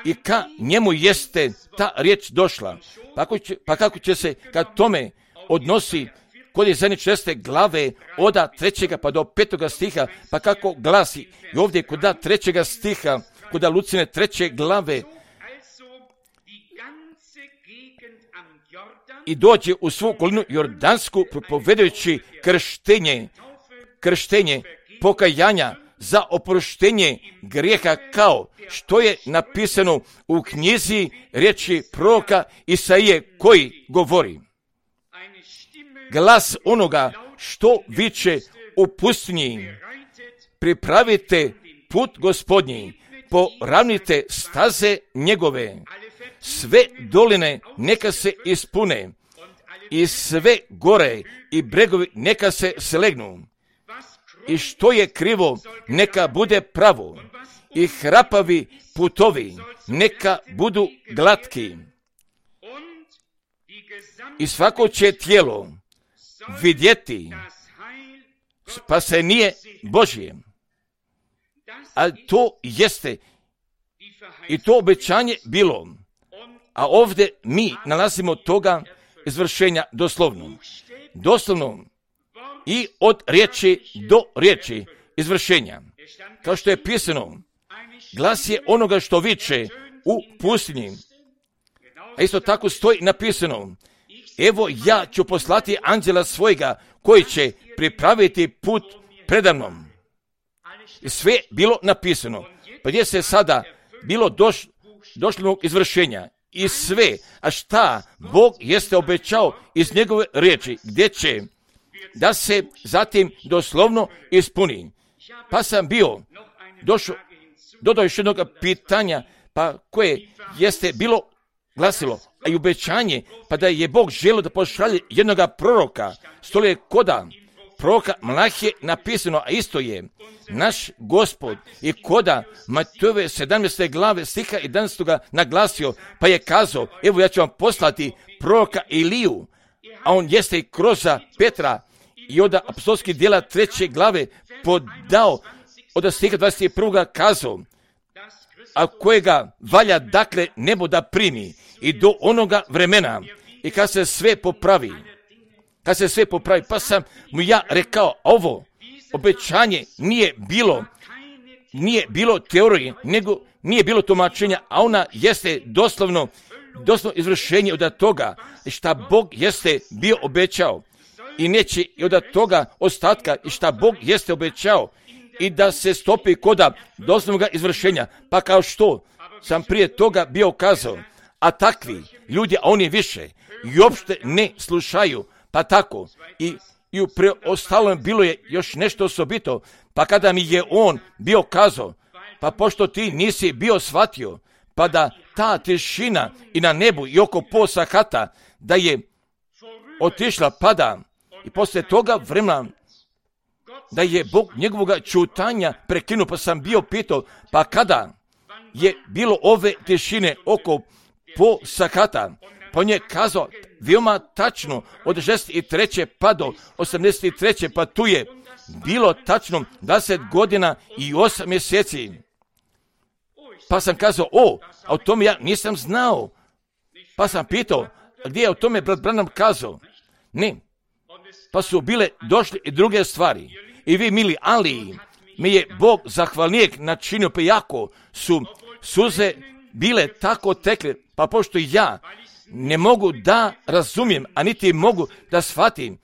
I ka njemu jeste ta riječ došla. Pa kako će, pa kako će se kad tome odnosi kod je zadnje česte glave oda trećega pa do petoga stiha, pa kako glasi i ovdje kod da trećega stiha, kod da Lucine treće glave i dođe u svu okolinu Jordansku propovedajući krštenje, krštenje pokajanja za oproštenje grijeha kao što je napisano u knjizi riječi proroka Isaije koji govori. Glas onoga što viče u pustinji, pripravite put Gospodnji, poravnite staze njegove. sve doline neka se ispune i sve gore i bregovi neka se slegnu. I što je krivo, neka bude pravo. I hrapavi putovi, neka budu glatki. I svako će tijelo vidjeti spasenije Božje. Ali to jeste i to obećanje bilo. A ovdje mi nalazimo toga izvršenja doslovno. Doslovno i od riječi do riječi izvršenja. Kao što je pisano, glas je onoga što viče u pustinji. A isto tako stoji napisano, evo ja ću poslati anđela svojega koji će pripraviti put predamnom. I sve bilo napisano. Pa gdje se sada bilo doš, došlo izvršenja i sve, a šta Bog jeste obećao iz njegove riječi, gdje će da se zatim doslovno ispuni. Pa sam bio došao, dodao još jednog pitanja, pa koje jeste bilo glasilo, a i obećanje, pa da je Bog želio da pošalje jednog proroka, stole je koda proroka Malahije napisano, a isto je naš Gospod i koda Matejove sedamnaeste glave stiha jedanaestoga naglasio, pa je kazao, evo ja ću vam poslati proroka Iliju, a on jeste i kroz Petra i od apostolskih djela treće glave podao, od stiha dvadeset prvog kazao, a kojega valja dakle nebo da primi i do onoga vremena i kad se sve popravi, kad se sve popravi, pa sam mu ja rekao, ovo obećanje nije bilo, nije bilo teorije, nego nije bilo tumačenja, a ona jeste doslovno, doslovno izvršenje od toga šta Bog jeste bio obećao i neće i od toga ostatka i šta Bog jeste obećao i da se stopi koda doslovnog izvršenja, pa kao što sam prije toga bio kazao, a takvi ljudi, a oni više i uopšte ne slušaju, pa tako i, i u preostalom bilo je još nešto osobito, pa kada mi je on bio kazao, pa pošto ti nisi bio shvatio, pa da ta tišina i na nebu i oko posa hata, da je otišla pada i poslije toga vremena da je Bog njegovoga čutanja prekinuo, pa sam bio pitao, pa kada je bilo ove tišine oko posa hata, pa on je kazao veoma tačno od šezdeset treće pa do osamdeset treće pa tu je bilo tačno dvadeset godina i osam mjeseci. Pa sam kazao, o, a o tome ja nisam znao. Pa sam pitao, a gdje je o tome brat Branham kazao? Ne. Pa su bile došle i druge stvari. I vi, mili, ali mi je Bog zahvalnijeg načinio, pa jako su suze bile tako tekle, pa pošto ja ne mogu da razumijem, a niti mogu da shvatim,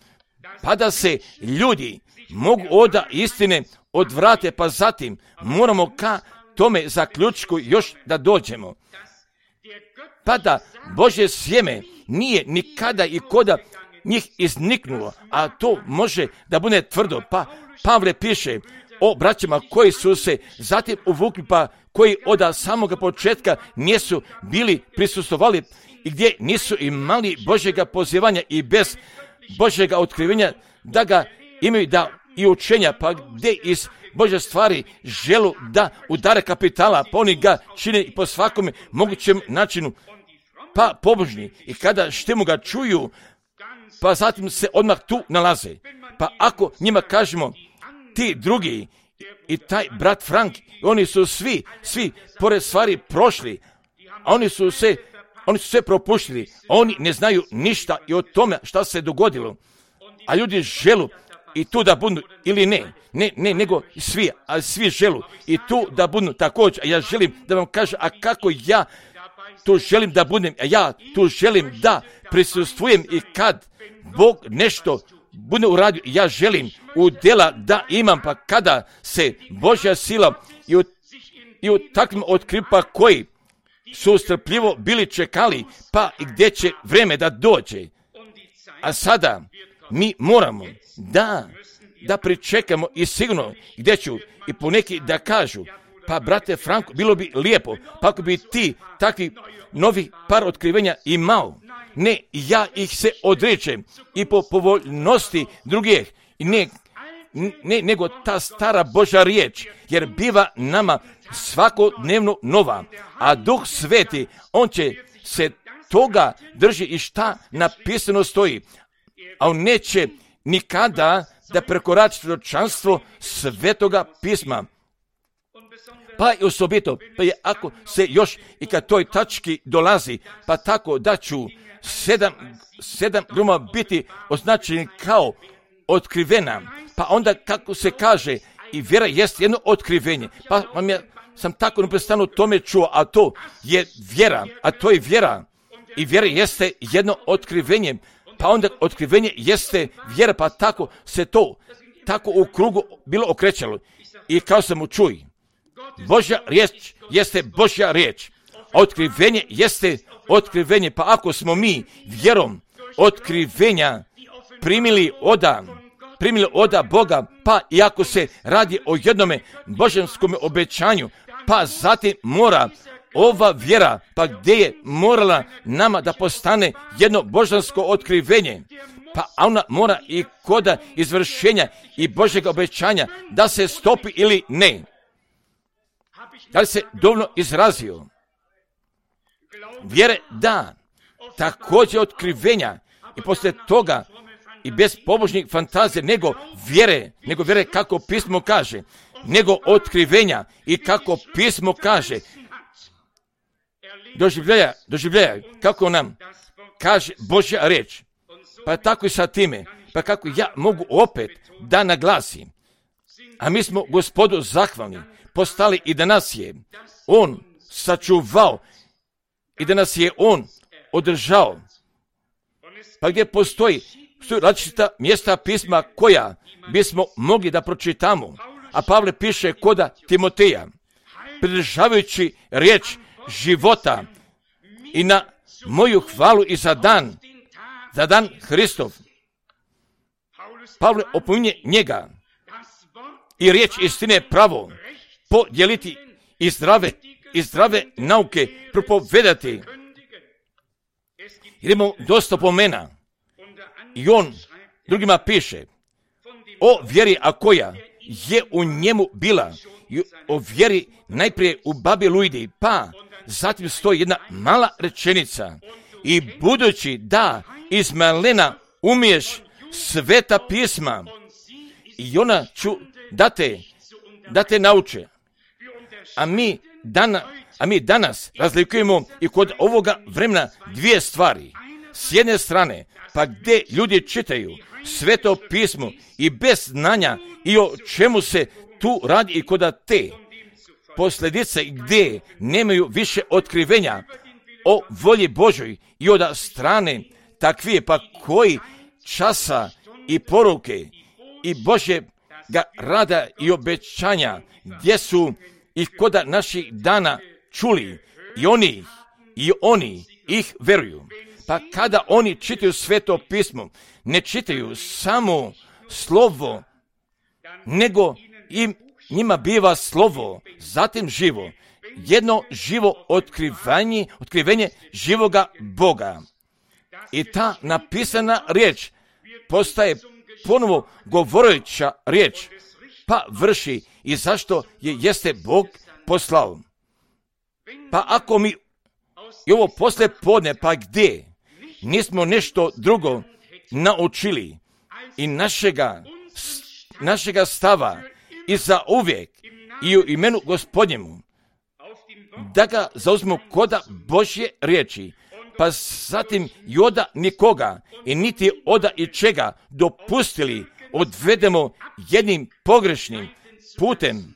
pa da se ljudi mogu od istine odvrate, pa zatim moramo ka tome zaključku još da dođemo. Pa da Božje sjeme nije nikada i koda njih izniknulo, a to može da bude tvrdo. Pa Pavle piše o braćama koji su se zatim uvukli, pa koji od samoga početka nisu bili prisustvovali i gdje nisu imali Božjega pozivanja i bez Božjega otkrivenja da ga imaju da i učenja, pa gdje iz Božje stvari želu da udare kapitala, pa oni ga čine i po svakome mogućem načinu, pa pobožni. I kada štimu ga čuju, pa zatim se odmah tu nalaze. Pa ako njima kažemo, ti drugi i taj brat Frank, oni su svi, svi pored stvari prošli, a oni su se, oni su sve propuštili, oni ne znaju ništa i o tome šta se dogodilo. A ljudi želu i tu da budu ili ne, ne, ne, nego svi, ali svi želu i tu da budu također. A ja želim da vam kažem, a kako ja tu želim da budem, a ja tu želim da prisustvujem i kad Bog nešto bude uradio, ja želim u djela da imam, pa kada se Božja sila i u, i u takvim otkripa koji su strpljivo bili čekali, pa i gdje će vreme da dođe. A sada mi moramo da, da pričekamo i sigurno gdje ću i poneki da kažu, Pa, brate Franko, bilo bi lijepo, pa ako bi ti takvi novi par otkrivenja imao. Ne, ja ih se odrećem i po povoljnosti drugih, ne, ne, nego ta stara Božja riječ, jer biva nama svakodnevno nova, a Duh Sveti, on će se toga drži i šta napisano stoji, a on neće nikada da prekorači proročanstvo Svetoga pisma. Pa i osobito, pa je ako se još i kad toj tački dolazi, pa tako da ću sedam, sedam gruma biti označeni kao otkrivena, pa onda kako se kaže, i vjera jest jedno otkrivenje, pa vam ja sam tako neprestano tome čuo, a to je vjera, a to je vjera, i vjera jeste jedno otkrivenje, pa onda otkrivenje jeste vjera, pa tako se to tako u krugu bilo okrećalo. I kao sam mu čuj, Božja riječ jeste Božja riječ, otkrivenje jeste otkrivenje, pa ako smo mi vjerom otkrivenja primili oda, primili oda Boga, pa i ako se radi o jednome božanskom obećanju, pa zatim mora ova vjera, pa gdje je morala nama da postane jedno božansko otkrivenje, pa ona mora i koda izvršenja i Božjeg obećanja da se stopi ili ne. Da li se dovoljno izrazio? Vjere da, također otkrivenja i poslije toga i bez pobožnih fantazija, nego vjere, nego vjere kako pismo kaže, nego otkrivenja i kako pismo kaže, doživljaja, doživljaja, kako nam kaže Božja riječ, pa tako i sa time, pa kako ja mogu opet da naglasim, a mi smo Gospodu zahvalni, postali i da nas je On sačuvao i da nas je On održao. Pa gdje postoji, postoji različita mjesta pisma koja bismo mogli da pročitamo, a Pavle piše koda Timoteja, pridržavajući riječ života i na moju hvalu i za dan, za dan Hristov. Pavle opominje njega i riječ istine pravo podijeliti i zdrave, i zdrave nauke propovedati. Jer imamo dosta pomena i on drugima piše o vjeri, a koja je u njemu bila, i o vjeri najprije u babi Lujdi, pa zatim stoji jedna mala rečenica, i budući da iz malena umiješ sveta pisma, i ona ću da te, da te nauče. A mi, dana, a mi danas razlikujemo i kod ovoga vremena dvije stvari. S jedne strane, pa gdje ljudi čitaju sveto pismo i bez znanja i o čemu se tu radi i kod te posljedice gdje nemaju više otkrivenja o volji Božoj i od strane takvije, pa koji časa i poruke i Božje ga rada i obećanja gdje su ih koda naših dana čuli i oni i oni ih veruju. Pa kada oni čitaju sveto pismo, ne čitaju samo slovo, nego im njima biva slovo, zatim živo, jedno živo otkrivanje, otkrivenje živoga Boga. I ta napisana riječ postaje ponovo govoreća riječ, pa vrši i zašto je jeste Bog poslao. Pa ako mi i ovo posle podne, pa gdje nismo nešto drugo naučili i našega, našega stava i za uvijek i u imenu Gospodnjemu, da ga zauzmemo koda Božje riječi, pa zatim i oda nikoga i niti oda i čega dopustili odvedemo jednim pogrešnim putem,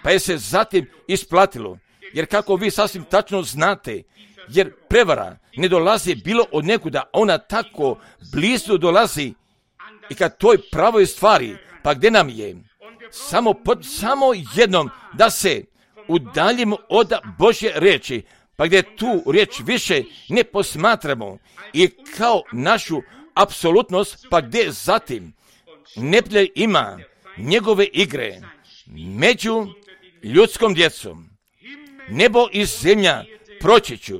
pa je se zatim isplatilo. Jer kako vi sasvim tačno znate, jer prevara ne dolazi bilo od nekuda, ona tako blizu dolazi i kad toj pravoj stvari, pa gdje nam je samo, pod, samo jednom da se udaljimo od Božje riječi, pa gdje tu riječ više ne posmatramo i kao našu apsolutnost, pa gdje zatim neprijatelj ima njegove igre među ljudskom djecom. Nebo i zemlja proći ću.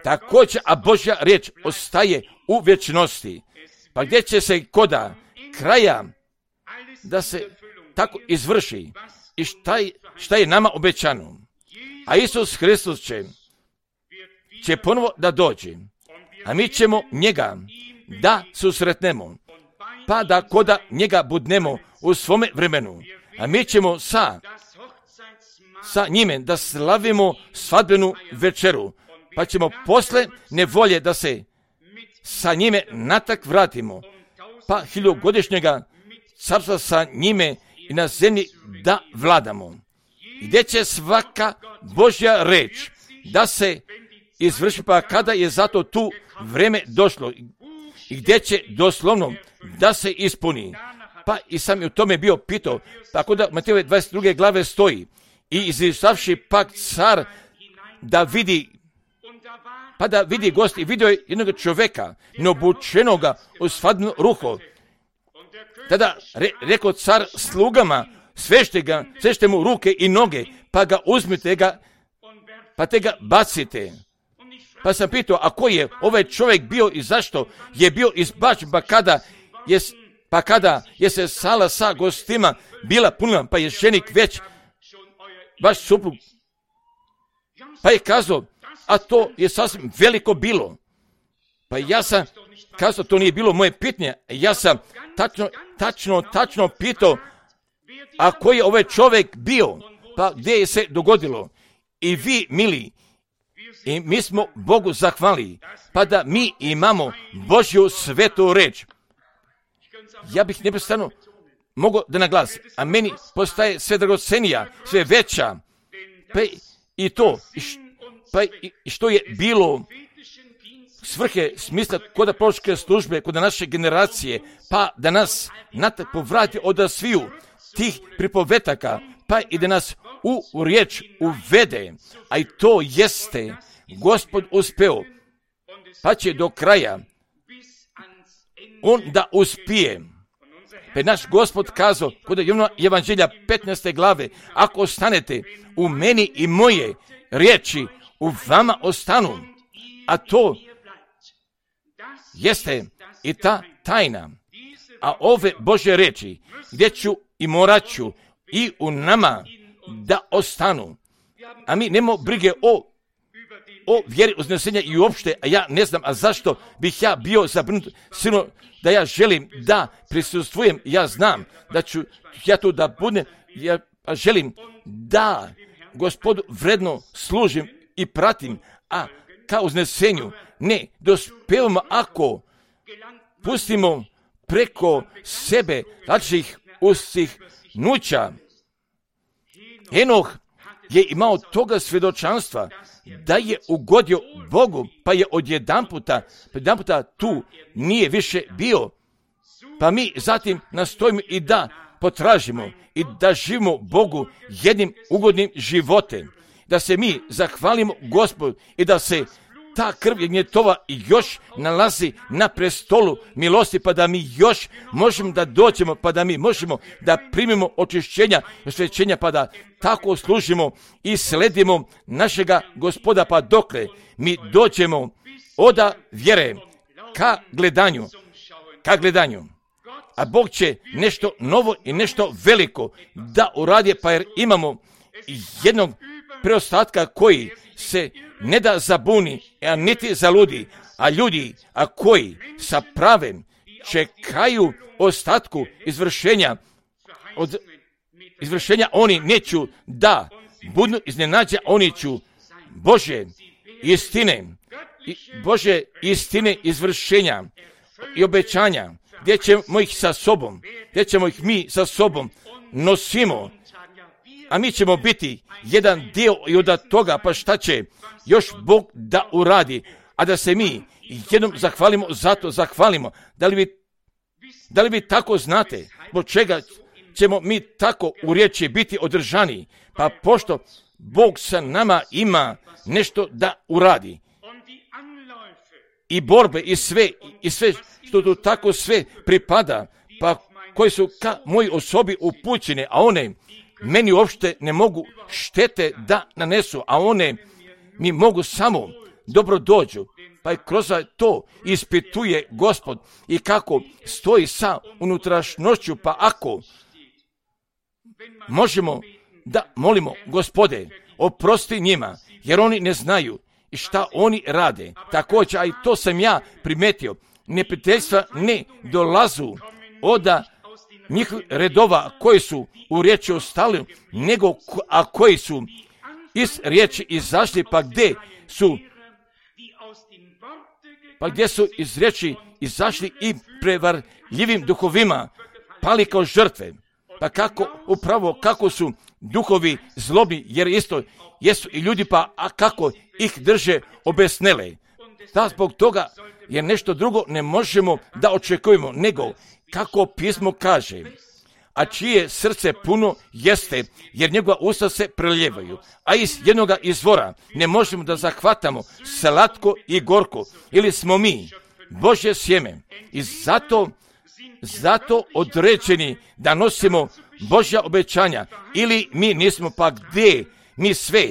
Također, a Božja riječ ostaje u vječnosti. Pa gdje će se koda kraja da se tako izvrši i šta je, šta je nama obećano. A Isus Hristos će, će ponovo da dođe, a mi ćemo njega da susretnemo, pa da koda njega budnemo u svome vremenu, a mi ćemo sa, sa njime da slavimo svadbenu večeru, pa ćemo posle nevolje da se sa njime natak vratimo, pa hiljogodišnjega carstva sa njime i na zemlji da vladamo. Gdje će svaka Božja reč da se izvrši, pa kada je zato tu vreme došlo i gdje će doslovno da se ispuni. Pa i sam je u tome bio pitao, tako da u Matejove dvadeset druge glave stoji i izišavši pak car da vidi, pa da vidi gost i vidio je jednog čovjeka neobučenoga u svadbeno ruho. Tada re, rekao car slugama, svešte ga, svešte mu ruke i noge, pa ga uzmite ga, pa te ga bacite. Pa sam pitao, a ko je ovaj čovjek bio i zašto je bio izbačen, pa kada je, pa kada je se sala sa gostima bila puna, pa je ženik već vaš suprug. Pa je kazao, a to je sasvim veliko bilo. Pa ja sam kazao, to nije bilo moje pitanje. Ja sam tačno, tačno, tačno pitao, a koji je ovaj čovjek bio, pa gdje je se dogodilo. I vi, mili, i mi smo Bogu zahvali, pa da mi imamo Božju svetu reč. Ja bih neprestano mogao da naglasim, a meni postaje sve dragocenija, sve veća, pa i to, pa i što je bilo svrhe, smisla kod proročke službe, kod naše generacije, pa da nas natak povrati od sviju tih pripovetaka, pa i da nas u, u riječ uvede, a i to jeste Gospod uspeo, pa će do kraja on da uspije. Pa je naš Gospod kazao kod Evanđelja petnaeste glave, ako ostanete u meni i moje riječi u vama ostanu, a to jeste i ta tajna, a ove Božje riječi gdje ću i morat ću i u nama da ostanu. A mi nemamo brige o, o vjeri uznesenja i uopšte, a ja ne znam, a zašto bih ja bio zabrinut, sino da ja želim da prisustvujem, ja znam da ću ja tu da budem, ja želim da Gospodu vredno služim i pratim, a ka uznesenju ne dospevamo ako pustimo preko sebe različitih usihnuća. Enoh je imao toga svjedočanstva da je ugodio Bogu, pa je odjedanputa, odjedanputa tu nije više bio. Pa mi zatim nastojimo i da potražimo i da živimo Bogu jednim ugodnim životem, da se mi zahvalimo Gospodu i da se ta krv jagnjetova još nalazi na prestolu milosti, pa da mi još možemo da dođemo, pa da mi možemo da primimo očišćenja i osvećenja, pa da tako služimo i sledimo našega Gospoda, pa dokle mi dođemo oda vjere ka gledanju, ka gledanju. A Bog će nešto novo i nešto veliko da uradi, pa jer imamo jednog preostatka koji se ne da zabuni, a niti zaludi, a ljudi, a koji sa pravem čekaju ostatku izvršenja, od izvršenja oni neću da budu iznenađa, oni ću Bože istine, Bože istine izvršenja i obećanja, gdje ćemo ih sa sobom, gdje ćemo ih mi sa sobom nosimo, a mi ćemo biti jedan dio i od toga, pa šta će još Bog da uradi, a da se mi jednom zahvalimo, zato zahvalimo. Da li vi, da li vi tako znate, zbog čega ćemo mi tako u riječi biti održani? Pa pošto Bog sa nama ima nešto da uradi. I borbe, i sve, i sve što tu tako sve pripada, pa koji su ka moji osobi upućene, a one meni uopšte ne mogu štete da nanesu, a one mi mogu samo dobro dođu. Pa i kroz to ispituje Gospod i kako stoji sa unutrašnjošću, pa ako možemo da molimo, Gospode, oprosti njima, jer oni ne znaju i šta oni rade. Također, a i to sam ja primetio, neprijateljstva ne dolazu od njihovih redova koji su u riječi ostali, nego a koji su iz riječi izašli, pa gdje su pa gdje su iz riječi izašli i prevarljivim duhovima pali kao žrtve. Pa kako, upravo kako su duhovi zlobi, jer isto jesu i ljudi, pa a kako ih drže obesnele. Da zbog toga, jer nešto drugo ne možemo da očekujemo, nego kako pismo kaže, a čije srce puno jeste, jer njegova usta se prelijevaju, a iz jednoga izvora ne možemo da zahvatamo slatko i gorko, ili smo mi Božje sjeme i zato, zato određeni da nosimo Božja obećanja, ili mi nismo, pa gdje mi sve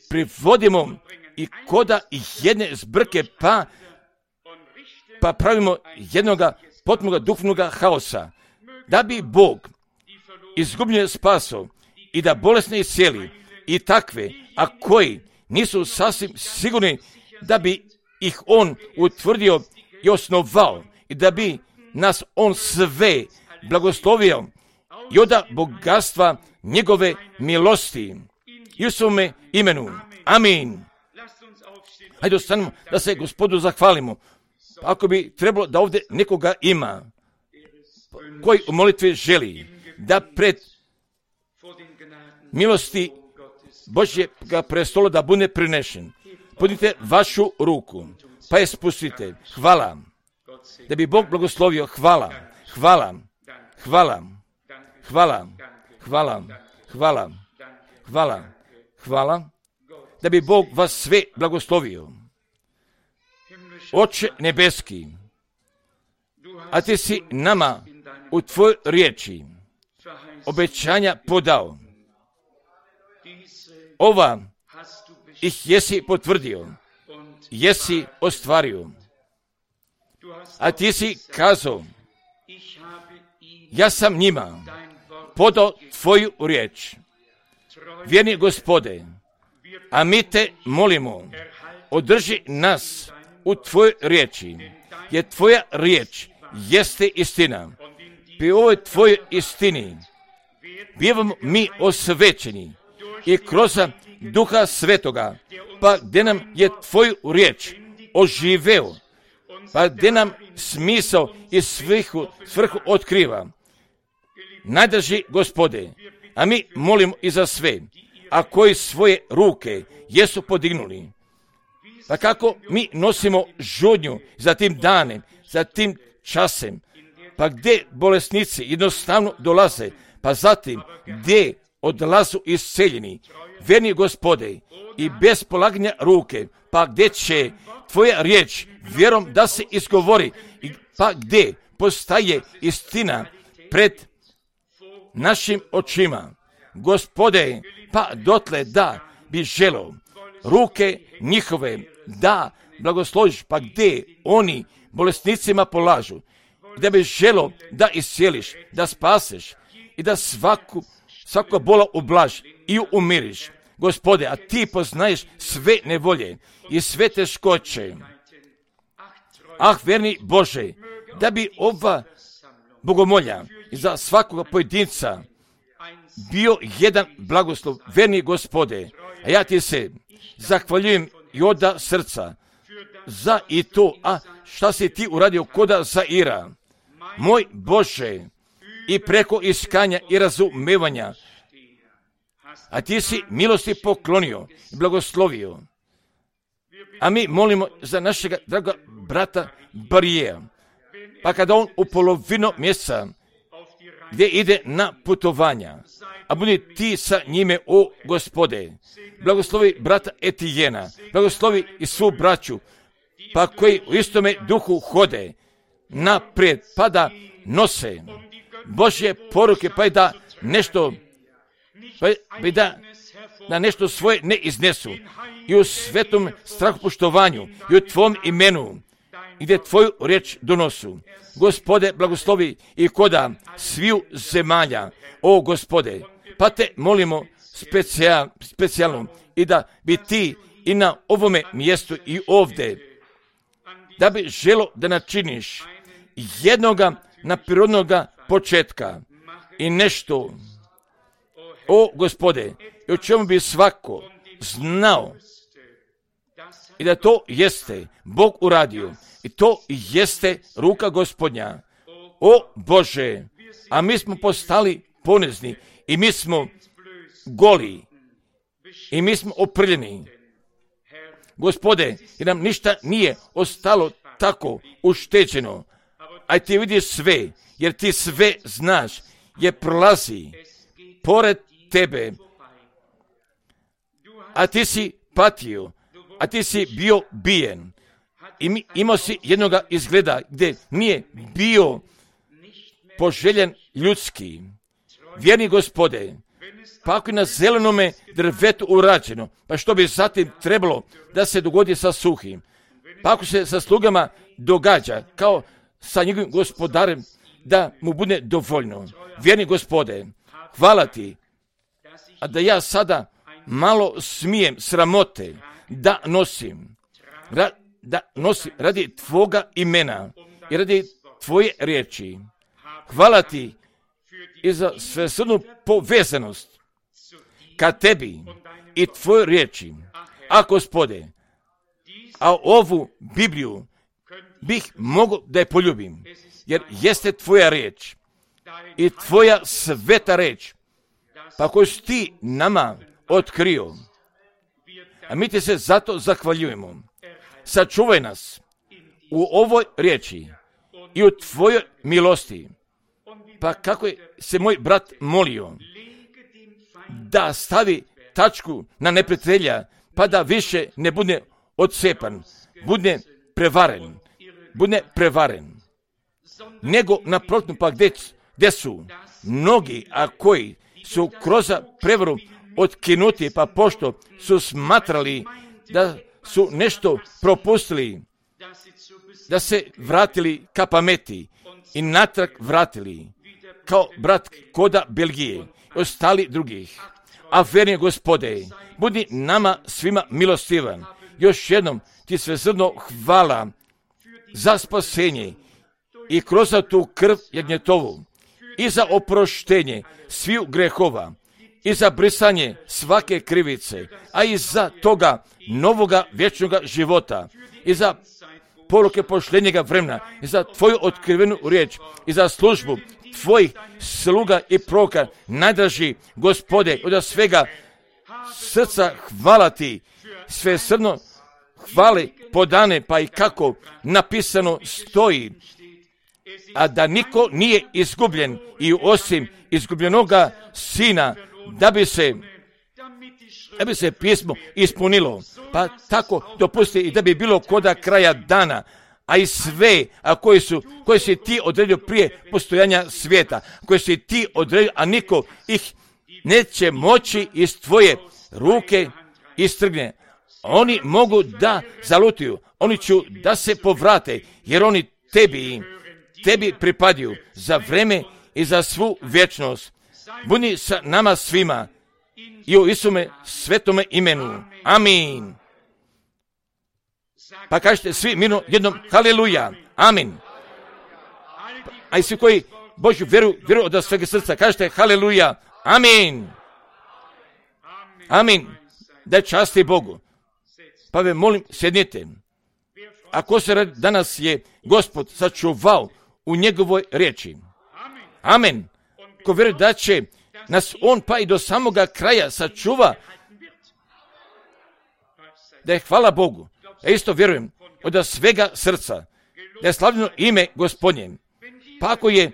privodimo i koda jedne zbrke, pa, pa pravimo jednoga potpunoga duhovnoga haosa, da bi Bog izgubljene spaso i da bolesne iscijeli i takve, a koji nisu sasvim sigurni da bi ih on utvrdio i osnovao i da bi nas on sve blagoslovio i od bogatstva njegove milosti i u svome imenu. Amin. Hajde ostanemo da se Gospodu zahvalimo. Ako bi trebalo da ovdje nekoga ima koji u molitvi želi da pred milosti Božjega prestola da bude prinešen, podnite vašu ruku, pa je spustite. Hvala. Da bi Bog blagoslovio. Hvala. Hvala. Hvala. Hvala. Hvala. Hvala. Hvala. Hvala. Da bi Bog vas sve blagoslovio. Oče nebeski, a ti si nama u tvojoj riječi obećanja podao. Ova ih jesi potvrdio, jesi ostvario. A ti si kazao, ja sam njima podao tvoju riječ. Vjerni Gospode, a mi te molimo, održi nas u tvojoj riječi, jer tvoja riječ jeste istina. Pri ovoj tvojoj istini bivamo mi osvećeni i kroz Duha Svetoga, pa gdje nam je tvoju riječ oživeo, pa gdje nam smisao i svrhu, svrhu otkriva. Najdrži Gospode, a mi molimo i za sve, a koji svoje ruke jesu podignuli. Pa kako mi nosimo žudnju za tim danem, za tim časem, pa gdje bolesnici jednostavno dolaze, pa zatim gdje odlazu isceljeni, vjerni Gospode, i bez polaganja ruke, pa gdje će tvoja riječ vjerom da se izgovori, pa gdje postaje istina pred našim očima. Gospode, pa dotle da bi želo ruke njihove da blagosloviš, pa gdje oni bolesnicima polažu, da bi želo da iscijeliš, da spaseš i da svaku, svaku bola ublaž i umiriš. Gospode, a ti poznaješ sve nevolje i sve teškoće. Ah, verni Bože, da bi ova bogomolja za svakoga pojedinca bio jedan blagoslov, verni Gospode, a ja ti se zahvaljujem i od srca za i to, a šta si ti uradio koda Zaira, moj Bože, i preko iskanja i razumevanja, a ti si milosti poklonio i blagoslovio. A mi molimo za našega draga brata Barijeja, pa kada on u polovinu mjeseca gdje ide na putovanja, a budi ti sa njime, o Gospode, blagoslovi brata Etijena, blagoslovi i svu braću, pa koji u istome duhu hode naprijed, pa da nose Božje poruke, pa i da nešto pa bi da na nešto svoje ne iznesu i u svetom strahopoštovanju i u tvom imenu gdje tvoju riječ donosu. Gospode, blagoslovi i koda sviju zemalja, o Gospode, pa te molimo specijal, specijalno i da bi ti i na ovome mjestu i ovdje, da bi želo da načiniš jednoga naprirodnoga početka i nešto, o Gospode, i o čemu bi svako znao i da to jeste Bog uradio i to jeste ruka Gospodnja. O Bože, a mi smo postali ponizni i mi smo goli i mi smo oprljeni. Gospode, jer nam ništa nije ostalo tako ušteđeno, a ti vidiš sve, jer ti sve znaš, jer prolazi pored tebe, a ti si patio, a ti si bio bijen i mi, imao si jednoga izgleda gdje nije bio poželjen ljudski. Vjerni Gospode, pa ako je na zelenome drvetu urađeno, pa što bi zatim trebalo da se dogodi sa suhim? Pa ako se sa slugama događa kao sa njegovim gospodarem, da mu bude dovoljno. Vjerni Gospode, hvala ti, a da ja sada malo smijem sramote da nosim, ra, da nosim radi tvoga imena i radi tvoje riječi. Hvala ti i za svesrdnu povezanost ka tebi i tvojoj riječi. A Gospode, a ovu Bibliju bih mogao da je poljubim, jer jeste tvoja riječ i tvoja sveta riječ, pa koju si ti nama otkrio. A mi ti se zato zahvaljujemo. Sačuvaj nas u ovoj riječi i u tvojoj milosti. Pa kako je se moj brat molio da stavi tačku na neprijatelja, pa da više ne bude odcepan, bude prevaren, bude prevaren, nego naprotiv, pa gdje, gdje su mnogi, a koji su kroz prevaru otkinuti, pa pošto su smatrali da su nešto propustili, da se vratili ka pameti i natrag vratili, kao brat koda Belgije i ostali drugih. A vjerni Gospode, budi nama svima milostivan. Još jednom ti svesrdno hvala za spasenje i kroz tu krv jagnjetovu i za oproštenje sviju grehova i za brisanje svake krivice, a i za toga novoga vječnoga života i za poruke pošljenjega vremena i za tvoju otkrivenu riječ i za službu tvojih sluga i proroka. Najdraži Gospode, od svega srca hvala ti, svesrdno hvale podane, pa i kako napisano stoji, a da niko nije izgubljen i osim izgubljenoga sina, da bi se da bi se pismo ispunilo, pa tako dopusti i da bi bilo koda kraja dana, a i sve, a koji su, koji si ti odredio prije postojanja svijeta, koji si ti odredio, a niko ih neće moći iz tvoje ruke istrgne. Oni mogu da zalutuju, oni će da se povrate, jer oni tebi, tebi pripadaju za vreme i za svu vječnost. Budi sa nama svima i u Isume svetome imenu. Amin. Pa kažete svi mirno jednom haleluja. Amin. A i svi koji Božju vjeru, vjeru od svega srca, kažete haleluja. Amin. Amin. Daj časti Bogu. Pa ve molim, sjednite. Ako se radi, danas je Gospod sačuvao u njegovoj riječi. Amen. Ko vjeruje da će nas on pa i do samoga kraja sačuva, da je hvala Bogu. Ja isto vjerujem od svega srca da je slavljeno ime Gospodnje. Pa ako je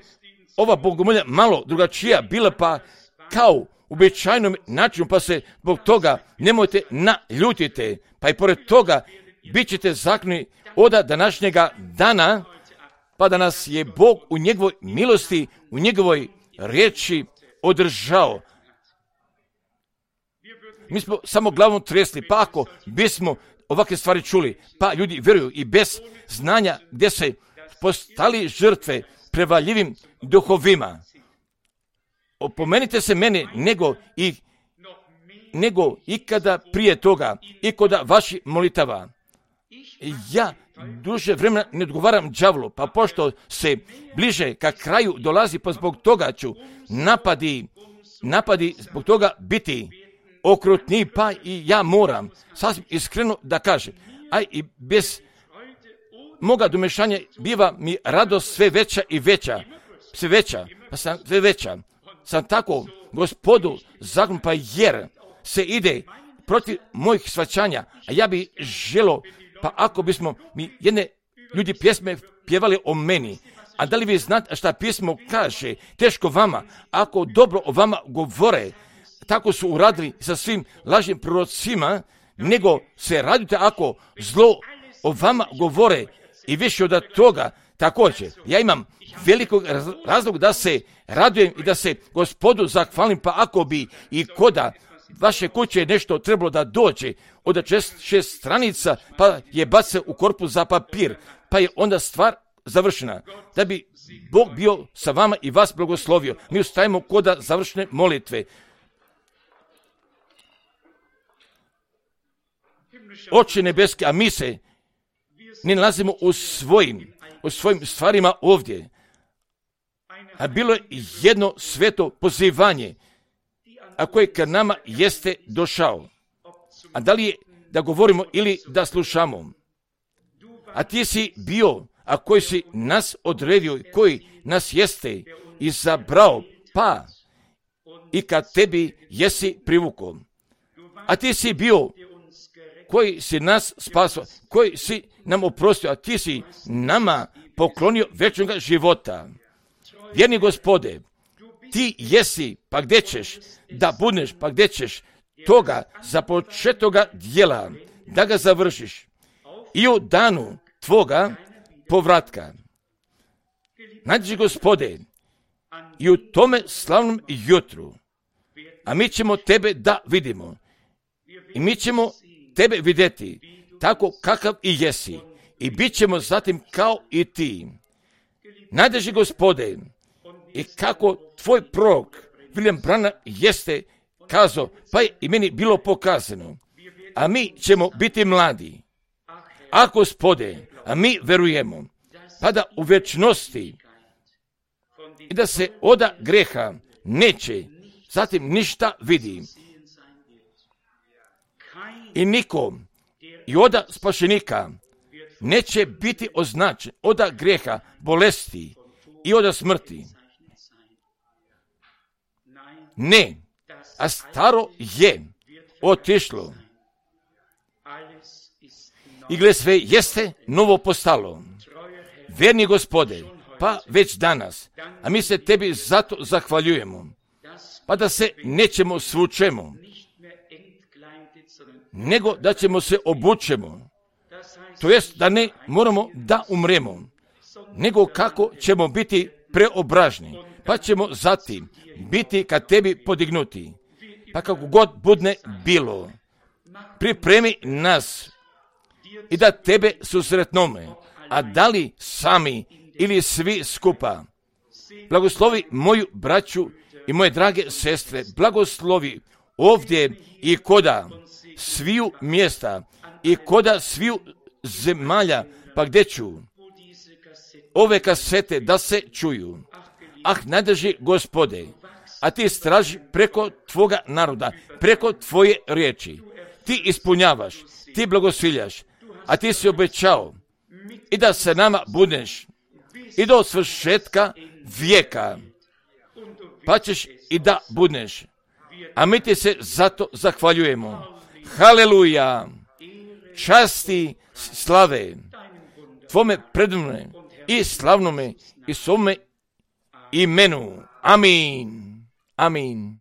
ova bogomolja malo drugačija bila, pa kao uobičajenom načinu, pa se zbog toga nemojte naljutite, pa i pored toga bit ćete zakloni od današnjega dana, pa da nas je Bog u njegovoj milosti, u njegovoj riječi održao. mi smo samo glavom tresli, pa ako bismo ovakve stvari čuli, pa ljudi vjeruju i bez znanja gdje se postali žrtve prevaljivim duhovima. Opomenite se mene nego i nego ikada prije toga i kod vaših molitava. Ja duže vremena ne odgovaram đavlu, pa pošto se bliže ka kraju dolazi, pa zbog toga ću napadi, napadi zbog toga biti okrutniji, pa i ja moram sasvim iskreno da kažem, a i bez moga domešanja biva mi radost sve veća i veća, sve veća, pa sam sve veća. Sam tako Gospodu zakon, pa jer se ide protiv mojih shvaćanja, a ja bi želo, pa ako bismo mi jedne ljudi pjesme pjevali o meni, a da li vi znate šta pismo kaže, teško vama, ako dobro o vama govore, tako su uradili sa svim lažnim prorocima, nego se radite ako zlo o vama govore i više od toga. Također, ja imam velikog razloga da se radujem i da se Gospodu zahvalim, pa ako bi i koda vaše kuće nešto trebalo da dođe od šest, šest stranica, pa je bace u korpus za papir, pa je onda stvar završena. Da bi Bog bio sa vama i vas blagoslovio. Mi ustajemo koda završne molitve. Oče nebeski, a mi se ne nalazimo u svojim, u svojim stvarima ovdje. A bilo je jedno sveto pozivanje, a koje ka nama jeste došao. A da li je da govorimo ili da slušamo? A ti si bio, a koji si nas odredio, koji nas jeste izabrao, pa i kad tebi jesi privukao. A ti si bio, koji si nas spasao, koji si nam oprostio, a ti si nama poklonio večnog života. Vjerni Gospode, ti jesi, pa gdje ćeš da budeš, pa gdje ćeš toga započetoga djela, da ga završiš i u danu tvoga povratka. Nađi Gospode, i u tome slavnom jutru, a mi ćemo tebe da vidimo i mi ćemo tebe vidjeti tako kakav i jesi i bit ćemo zatim kao i ti. Nađi Gospode, i kako tvoj prorok William Branham jeste kazao, pa je i meni bilo pokazano, a mi ćemo biti mladi. A Gospode, a mi verujemo, pa da u večnosti i da se oda greha neće zatim ništa vidi. I nikom i oda spašenika neće biti označen oda greha, bolesti i oda smrti. Ne, a staro je otišlo. I gle, sve jeste novo postalo. Vjerni Gospode, pa već danas, a mi se tebi zato zahvaljujemo, pa da se nećemo svučemo, nego da ćemo se obučemo, to jest da ne moramo da umremo, nego kako ćemo biti preobražni, pa ćemo zatim biti kad tebi podignuti, pa kako god budne bilo, pripremi nas i da tebe susretnome, a da li sami ili svi skupa. Blagoslovi moju braću i moje drage sestre, blagoslovi ovdje i koda sviju mjesta i koda sviju zemalja, pa gdje ću ove kasete da se čuju. Ah, nadrži Gospode, a ti straži preko tvoga naroda, preko tvoje riječi. Ti ispunjavaš, ti blagosiljaš, a ti si obećao i da se nama budeš i do svršetka vijeka, pa ćeš i da budeš. A mi ti se zato zahvaljujemo. Haleluja! Časti, slave tvome predivnome i slavnome i svome imenu. Amin. Amin.